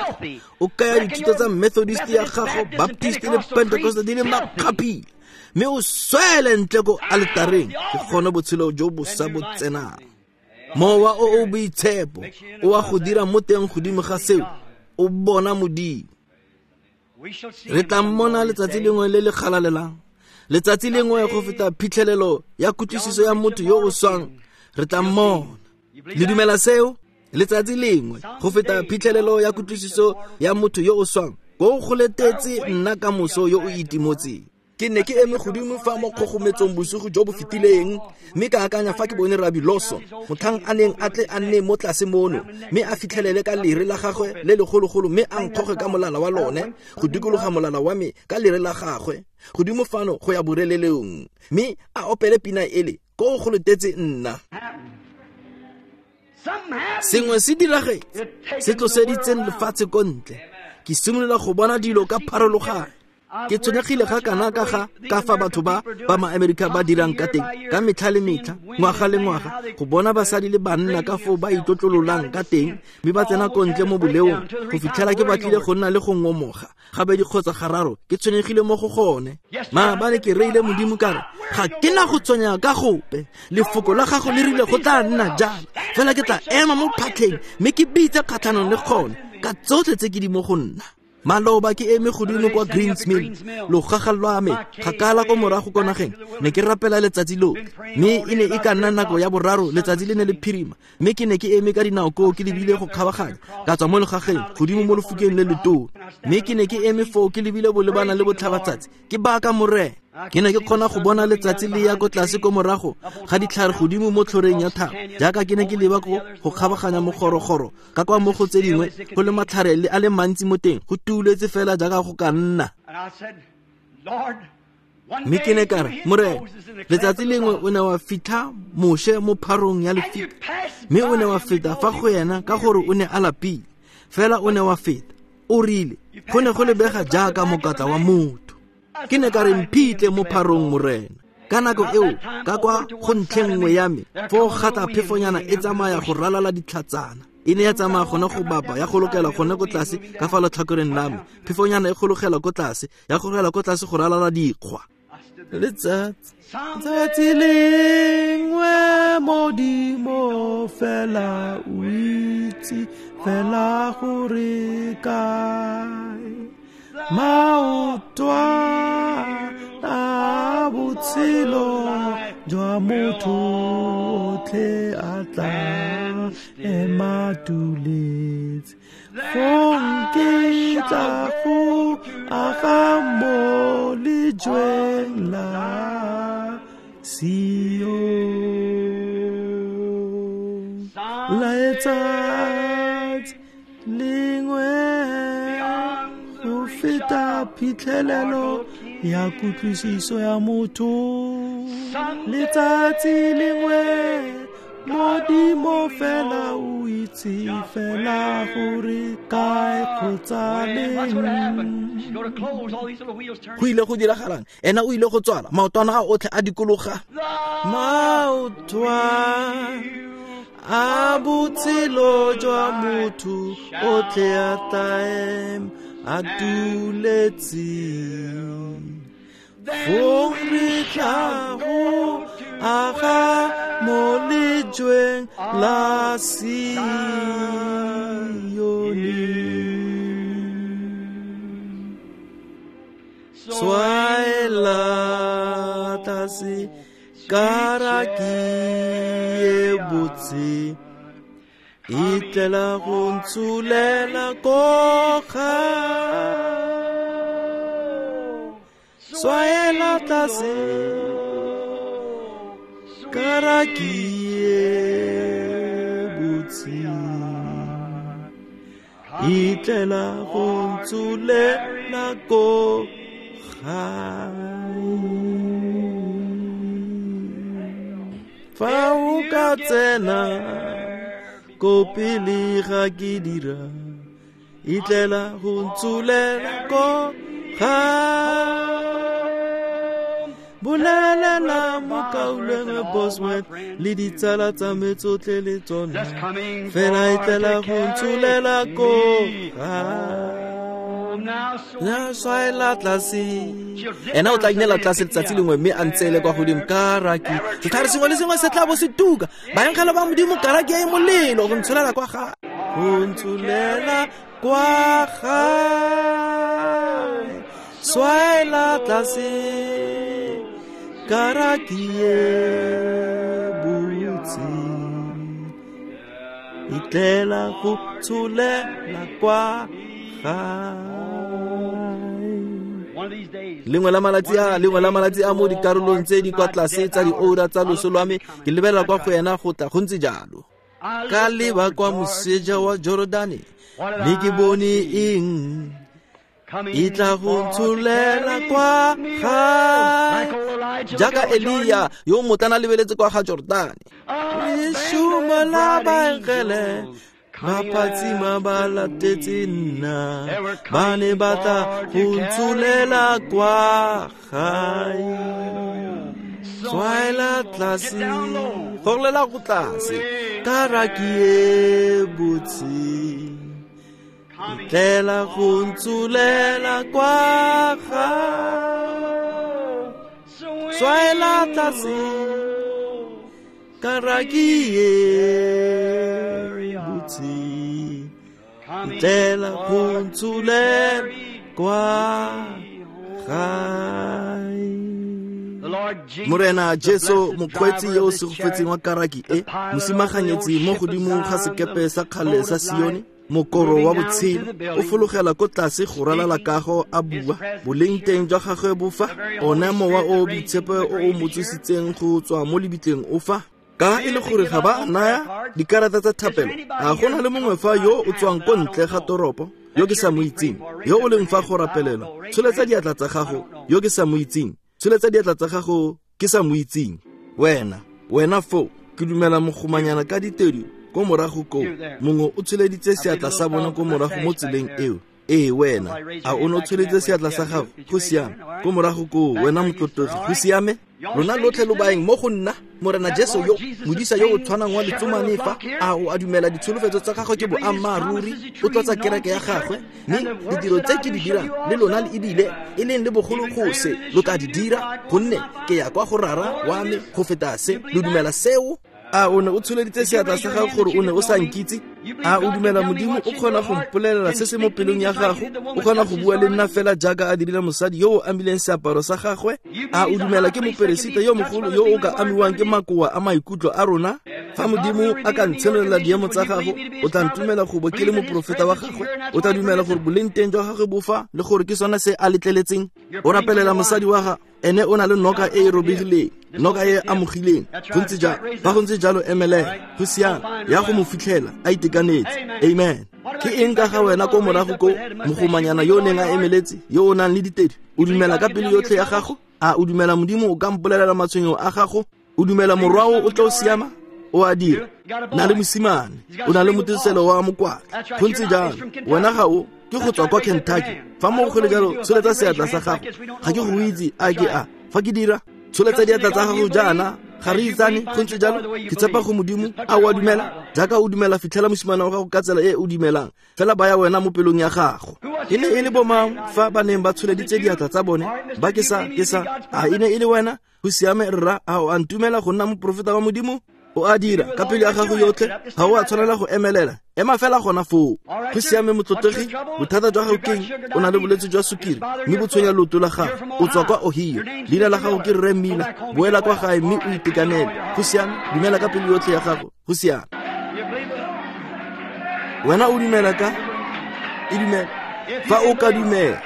A: o kaya dithuto tsa Methodist ya gago, Baptist le Pentecost di le makgaphila, mme o swele ntle ko aletareng, ke gone botshelo jo bo sa bo tsenang. Mowa o o boitshepo o a go dira mo teng godimo ga seo, o bona Modimo. Re tla mmona letsatsi lengwe le le galalelang, letsatsi lengwe go feta phitlhelelo ya kutlwisiso ya motho yo o swang, re tla mmona. Le dumela seo? Letsatsi lengwe go feta phitlhelelo ya kutlwisiso ya motho yo o swang, ko go letetse nna ka moso yo o itimotseng. Ke ne ke eme godimo fa mo kgogometsong bosigo jo bo fetileng, mme ka akanya fa ke bone Rabbi Lawson, motlhang a neng a tle a nne mo tlase mono, mme a fitlhelele ka lere la gagwe le legologolo, mme a nkgoge ka molala wa lone go dikologa molala wa me ka lere la gagwe godimo fano go ya borelelong, mme a opele pina ele ko go letetse nna. Sengwe se diragetse se tloseditseng lefatshe ko ntle. Ke simolola go bona dilo ka pharologano. Ke tshwenyegile ga kana ka ga ka fa batho ba ba ma-Amerika ba dirang ka teng ka metlha le metlha, ngwaga le ngwaga, go bona basadi le banna ka foo ba itlotlololang ka teng, mme ba tsena ko ntle mo boleong go fitlhela ke batlile go nna le go ngomoga gabedi kgotsa gararo. Ke tshwenyegile mo go gone. Maabane ke reile Modimo ka re, ga ke na go tshwenyega ka gope, lefoko la gago le rile go tla nna jalo, fela ke tla ema mo phatlheng mme ke bitse kgatlhanong le gone ka tsotlhe tse ke di mo go nna. Maloba ke eme godimo kwa Greens Mill, logaga lwa me kgakala ko morago ko nageng, ne ke rapela letsatsi lotlhe, mme e ne e ka nna nako ya boraro, letsatsi le ne le phirima, mme ke ne ke eme ka dinao koo ke lebile go kgabaganya ka tswa mo logageng godimo mo lefokeng le letona, mme ke ne ke eme foo ke lebile bolebana le botlhabatsatsi ke baka Morena. Ke ne ke kgona go bona letsatsi le ya ko tlase ko morago ga ditlhare godimo mo tlhoreng ya thaba, jaaka ke ne ke leba ko go kgabaganya mogorogoro ka kwa mo go tse dingwe go le matlhare le a le mantsi mo teng, go tuuletse fela jaaka go ka nna. Mme ke ne ka re, Morena, letsatsi lengwe o ne wa fitlha Moshe mo pharong ya lefika, mme o ne wa feta fa go yena ka gore o ne a lapile, fela o ne wa feta, o rile go ne go lebega jaaka mokatla wa motho. Ke ne ka re, mphitlhe mo pharong Morena. Ka nako eo ka kwa go ntlheng nngwe ya me foo gata phefonyana e tsamaya go ralala ditlhatsana, e ne ya tsamaya gone go bapa ya golokela gone ko tlase ka fa letlhakoreng la me, phefonyana e gologela ko tlase ya gologela ko tlase go ralala dikgwa. Letsatsi tsatsi lengwe Modimo fela o itse fela gore kae maotwana a botshelo jwa motho otlhe a tla ema tuletse, fong ke tla go aga mo lejweng la Sion. Letsatsi lengwe go feta phitlhelelo ya kutlwisiso ya motho, letsatsi lengwe Modimo fela o itse fela gore kae kgotsa leng. Go ile go diragalang? Ena o ile go tswala maotwana a otlhe a dikologa, maotwana a botshelo jwa motho otlhe a tla ema a tuletse, fong re tla go aga mo lejweng la Sione. Swaela tlase karaki e botse, e tlela go ntsholela ko gae. Swaela tlase karaki e botse, e tlela go ntsholela ko gae. Fa o ka tsena ko pele ga ke dira, e tlela go ntsholela ko gae. Bolelela mokaulengwe Bosworth le ditsala tsa me tsotlhe le tsona, fela e tlela go ntsholela ko gae. Na swaela tlase, ena o tla inela tlase letsatsi lengwe mme a ntseele kwa godimo karaki. Setlhare sengwe le sengwe se tla bo se tuka, baengele ba Modimo karaki e molelo go ntsholela kwa gae, go ntsholela kwa gae. Swaela tlase karaki e botse, e tlela go tsholela kwa gae. Lengwe la malatsi a lengwe la malatsi a mo dikarolong tse di kwa tlase tsa dioura tsa loso lwa me, ke lebelela kwa go ena go tla go ntse jalo. Ka leba kwa moseja wa Jordane, mme ke bone eng? E tla go ntsholela kwa gae, jaaka Elia yo motlana lebeletse kwa ga Jordane. Lešumo la baengele ba phatsima ba latetse nna, ba ne ba tla go ntsholela kwa gae. Tswaela tlase, golela go tlase, karaki e botse, tlela go ntsholela kwa gae. Tswaela tlase, karaki e botse, tlela go ntsholela kwa gae. Morena Jesu, mokgweetsi yo o segofetseng wa karaki e, mosimaganyetsi mo godimo ga sekepe sa kgale sa Sione, mokoro wa botshelo, o fologela ko tlase go ralala kago a bua, boleng teng jwa gagwe bo fa, one mowa o o boitshepo o o mo tsositseng go tswa mo lebitleng o fa. Ka e le gore ga ba naya dikarata tsa thapelo, a go na le mongwe fa yo o tswang ko ntle ga toropo yo ke sa mo itseng, yo o leng fa go rapelelwa, tsholetsa diatla tsa gago, yo ke sa mo itseng, tsholetsa diatla tsa gago ke sa mo itseng. Wena, wena foo, ke dumela mogomanyana ka ditedu ko morago koo, mongwe o tsholeditse seatla sa bona ko morago mo tseleng eo. Ee, wena, a o ne o tsholeditse seatla sa gago? Go siame. Ko morago koo, wena motlotlegi, go siame. Lona lotlhe lo baeng mo go nna, Morena Jesu yo, modisa yo o tshwanang wa letsomane fa, a o a dumela ditsholofetso tsa gagwe ke boammaaruri, o tlotsa kereke ya gagwe, mme ditiro tse ke di dirang le lona le ebile e leng le bogolo go se lo tla di dira, gonne ke ya kwa go Rara wa me go feta se. Lo dumela seo? A o ne o tsholeditse seatla sa gago gore o ne o sa nkitse? A o dumela Modimo o kgona go mpolelela se se mo pelong ya gago? O kgona go bua le nna fela jaaka a dirile mosadi yo o amileng seaparo sa gagwe? A o dumela ke moperesita yo mogolo yo o ka amiwang ke makoa a maikutlo a rona? Fa Modimo a ka ntshenolela diemo tsa gago, o tla ntumela go bo ke le moprofeta wa gagwe? O tla dumela gore boleng teng jwa gagwe bo fa, le gore ke sone se a letleletseng? O rapelela mosadi wa gagwe, ene o na le noka e e robegileng, noka e amogileng. Go ntse jalo, fa go ntse jalo, emelela, go siame, ya go mo fitlhela a itekanetse. Amen. Ke eng ka ga wena ko morago ko, mogomanyana yo o neng a emeletse, yo o nang le ditedi? O dumela ka pelo yotlhe ya gago? A o dumela Modimo o ka mpolelela matshwenyego a gago? O dumela morwao o tla o siama? O a dira. Na le mosimane, o na le moteselo wa mokwatla. Go ntse jalo, wena ga o ke go tswa kwa Kentucky. Fa mo go le jalo, tsholetsa seatla sa gago. Ga ke go itse a ke a. Fa ke dira, tsholetsa diatla tsa gago jaana, ga re itsane. Go ntse jalo, ke tshepa go Modimo. A o a dumela? Jaaka o dumela, fitlhela mosimane wa gago ka tsela e o dumelang. Fela baya wena mo pelong ya gago. E ne e le bomang fa ba neng ba tsholeditse diatla tsa bone? Ba ke sa, ke sa. A e ne e le wena? Go siame rra, a o a ntumela go nna moprofeta wa Modimo? O a dira ka pelo ya gago yotlhe, ga o a tshwanela go emelela, ema fela gona foo. Go siame motlotlegi, bothata jwa gago keng? O na le bolwetse jwa sukiri, mme bo tshwenya leoto la gago. O tswa kwa Ohio, leina la gago ke Rre Miller. Boela kwa gae mme o itekanele. Go siame, dumela ka pelo yotlhe ya gago. Go siame. Wena o dumela ka? E dumela. Fa o ka dumela,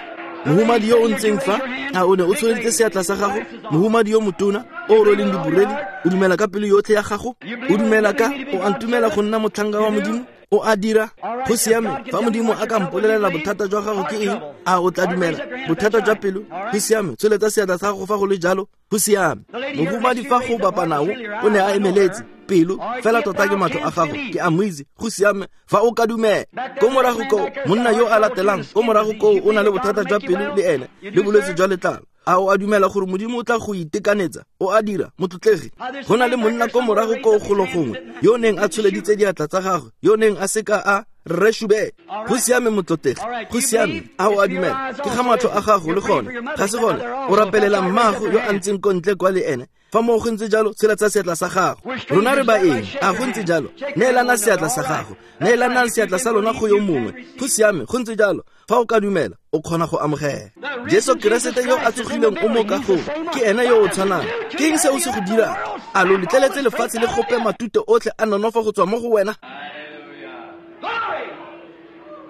A: mohumadi yo o ntseng fa, a o ne o tsholeditse seatla sa gago? Mohumadi yo motona o o rweleng diborele, o dumela ka pelo yotlhe ya gago? O dumela ka? O a ntumela go nna motlhanka wa Modimo? O a dira? Go siame. Fa Modimo a ka mpolelela bothata jwa gago ke eng, a o tla dumela? Bothata jwa pelo? Go siame. Tsholetsa seatla sa gago fa go le jalo. Go siame. Mohumadi fa go bapa nao o ne a emeletse pelo, fela tota ke matlho a gago, ke a mo itse. Go siame. Fa o ka dumela. Ko morago koo, monna yo a latelang ko morago koo o na le bothata jwa pelo le ene, le bolwetse jwa letlalo. A o a dumela gore Modimo o tla go itekanetsa? O a dira, motlotlegi. Go na le monna ko morago koo golo gongwe yo o neng a tsholeditse diatla tsa gagwe, yo o neng a seka a Rre Shube. Go siame motlotlegi, go siame. A o a dumela? Ke ga matlho a gago le gone, ga se gone? O rapelela mmago yo a ntseng ko ntle kwa le ene. Fa mo go ntse jalo, tsholetsa seatla sa gago. Rona re ba eng? A go ntse jalo? Neelana seatla sa gago, neelanang seatla sa lona go yo mongwe. Go siame, go ntse jalo. Fa o ka dumela, o kgona go amogela. Jesu Keresete yo a tsogileng o mo kagong, ke ene yo o tshwanang. Ke eng se o se go dirang? A lo letleletse lefatshe le gope matute otlhe a nonofo go tswa mo go wena?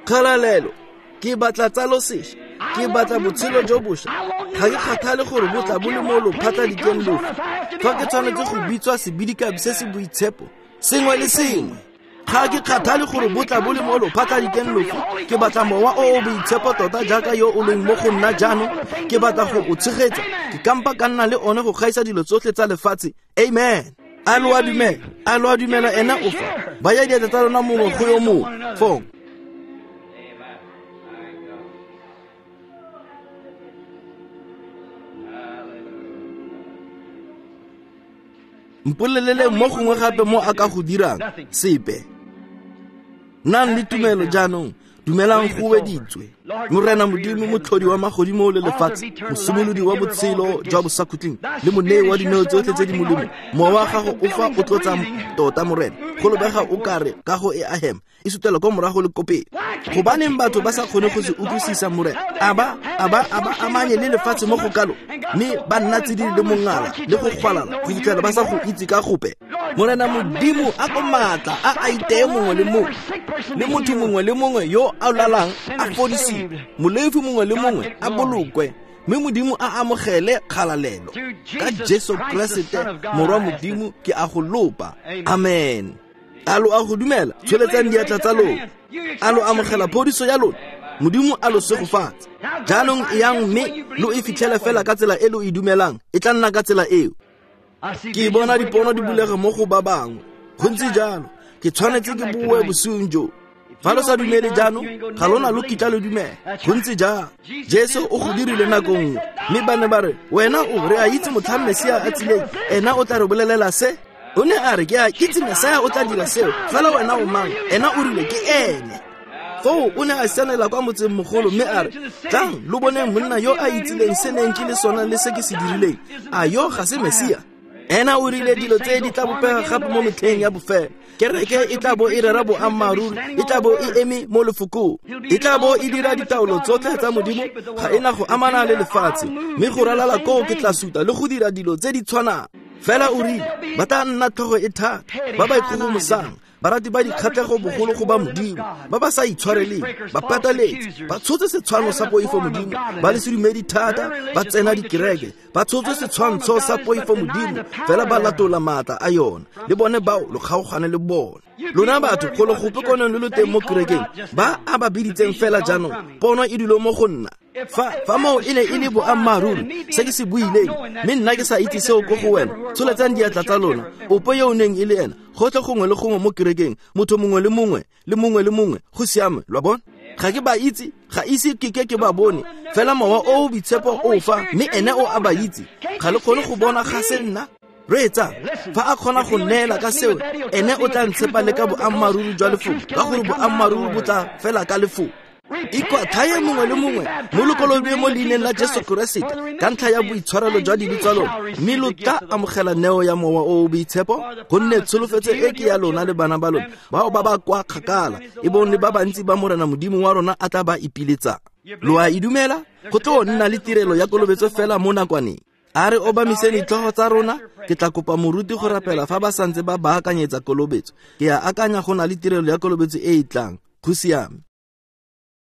A: Kgalalelo, ke batla tsalo sešwa. Ke batla botshelo jo bošwa. Ga ke kgathale gore bo tla bo le mo lophatladikeng lofe. Fa ke tshwanetse go bitswa sebidikabi se se boitshepo, sengwe le sengwe. Ga ke kgathale gore bo tla bo le mo lophatladikeng lofe. Ke batla mowa o o boitshepo tota jaaka yo o leng mo go nna jaanong. Ke batla go o tshegetsa. Ke kampa ka nna le one go gaisa dilo tsotlhe tsa lefatshe. Amen. A lo a dumela, a lo a dumela ena o fa. Baya diatla tsa lona mongwe go yo mongwe. Fong. Mpolelele mo gongwe gape mo a ka go dirang sepe. Nnang le tumelo jaanong, dumelang go weditswe. Morena Modimo, motlhodi wa magodimo le lefatshe, mosimolodi wa botshelo jwa bosakhutleng le monei wa dineo tsotlhe tse di molemo, mowa wa gago o fa o tlotsa tota Morena. Go lebega o kare kago e a hema, e sutela kwa morago le ko pele. Gobaneng batho ba sa kgone go se utlwisisa Morena? A ba a ba a ba amanye le lefatshe mo go kalo, mme ba nna tsididi le mongala le go gwalala go fitlhela ba sa go itse ka gope. Morena Modimo, a ko maatla a a iteye mongwe le mongwe, le motho mongwe le mongwe yo a lalang a fodisiwe, molefi mongwe le mongwe a bolokwe, mme Modimo a amogele kgalalelo. Ka Jesu Keresete Morwa Modimo ke a go lopa. Amen. A lo a go dumela? Tsholetsang diatla tsa lona. A lo amogela phodiso ya lona? Modimo a lo segofatse. Jaanong e yang mme lo e fitlhele fela ka tsela e lo e dumelang. E tla nna ka tsela eo. Ke bona dipono di bulega mo go ba bangwe. Go ntse jalo. Ke tshwanetse ke boe bosiung jo. Fa lo sa dumele jaanong, ga lona lo kitla lo dumela. Go ntse jalo. Jesu o go dirile nako nngwe, mme ba ne ba re, wena o re a itse motlhang Mesia a tsileng, ena o tla re bolelela se. O ne a re, ke a itse Mesia o tla dira seo, fela wena o mang? Ena o rile ke ene. Foo o ne a sianela kwa motseng mogolo mme a re, tlang lo boneng monna yo a itsileng se neng ke le sona le se ke se dirileng. A yo ga se Mesia? Ena o rile dilo tse di tla bopega gape mo metlheng ya bofelo. Kereke e tla bo e rera boammaaruri, e tla bo e eme mo lefokong, e tla bo e dira ditaolo tsotlhe tsa Modimo, ga e na go amana le lefatshe, mme go ralala koo ke tla suta le go dira dilo tse di tshwanang. Fela o rile, ba tla nna tlhogo e thata, ba ba ikgogomosang, barati ba dikgatlhego bogolo go ba Modimo, ba ba sa itshwareleng, ba pataletsi, ba tshotse setshwantsho sa poifo Modimo, ba le sedumedi thata, ba tsena dikereke, ba tshotse setshwantsho sa poifo Modimo, fela ba latola maatla a yona. Le bone bao lo kgaogane le bone. Lona batho go lo gope koneng lo lo teng mo kerekeng, ba a ba biditseng fela jaanong, pono e dilo mo go nna. Fa fa moo e ne e le boammaaruri se ke se buileng, mme nna ke sa itse seo ko go wena, tsholetsang diatla tsa lona. Ope yo o neng e le ena, gotlhe gongwe le gongwe mo kerekeng, motho mongwe le mongwe le mongwe le mongwe, go siame, lo a bona? Ga ke ba itse, ga ise ke ke ke ba bone, fela mowa o o boitshepo o fa, mme ene o a ba itse. Ga le kgone go bona ga se nna. Reetsa, fa a kgona go neela ka seo, ene o tla ntshepa le ka boammaaruri jwa lefoko, ka gore boammaaruri bo tla fela ka lefoko. Ikwatlhaye mongwe le mongwe mo lo kolobediwe mo leineng la Jesu Keresete ka ntlha ya boitshwarelo jwa dibe tsa lona, mme lo tla amogela neo ya mowa o o boitshepo, gonne tsholofetso e ke ya lona le bana ba lona, bao ba ba kwa kgakala, e bong le ba bantsi ba Morena Modimo wa rona a tla ba ipiletsang. Lo a e dumela? Go tlo nna le tirelo ya kolobetso fela mo nakwaneng. A re obamiseng ditlhogo tsa rona. Ke tla kopa moruti go rapela fa ba santse ba baakanyetsa kolobetso. Ke a akanya go na le tirelo ya kolobetso e e tlang. Go siame.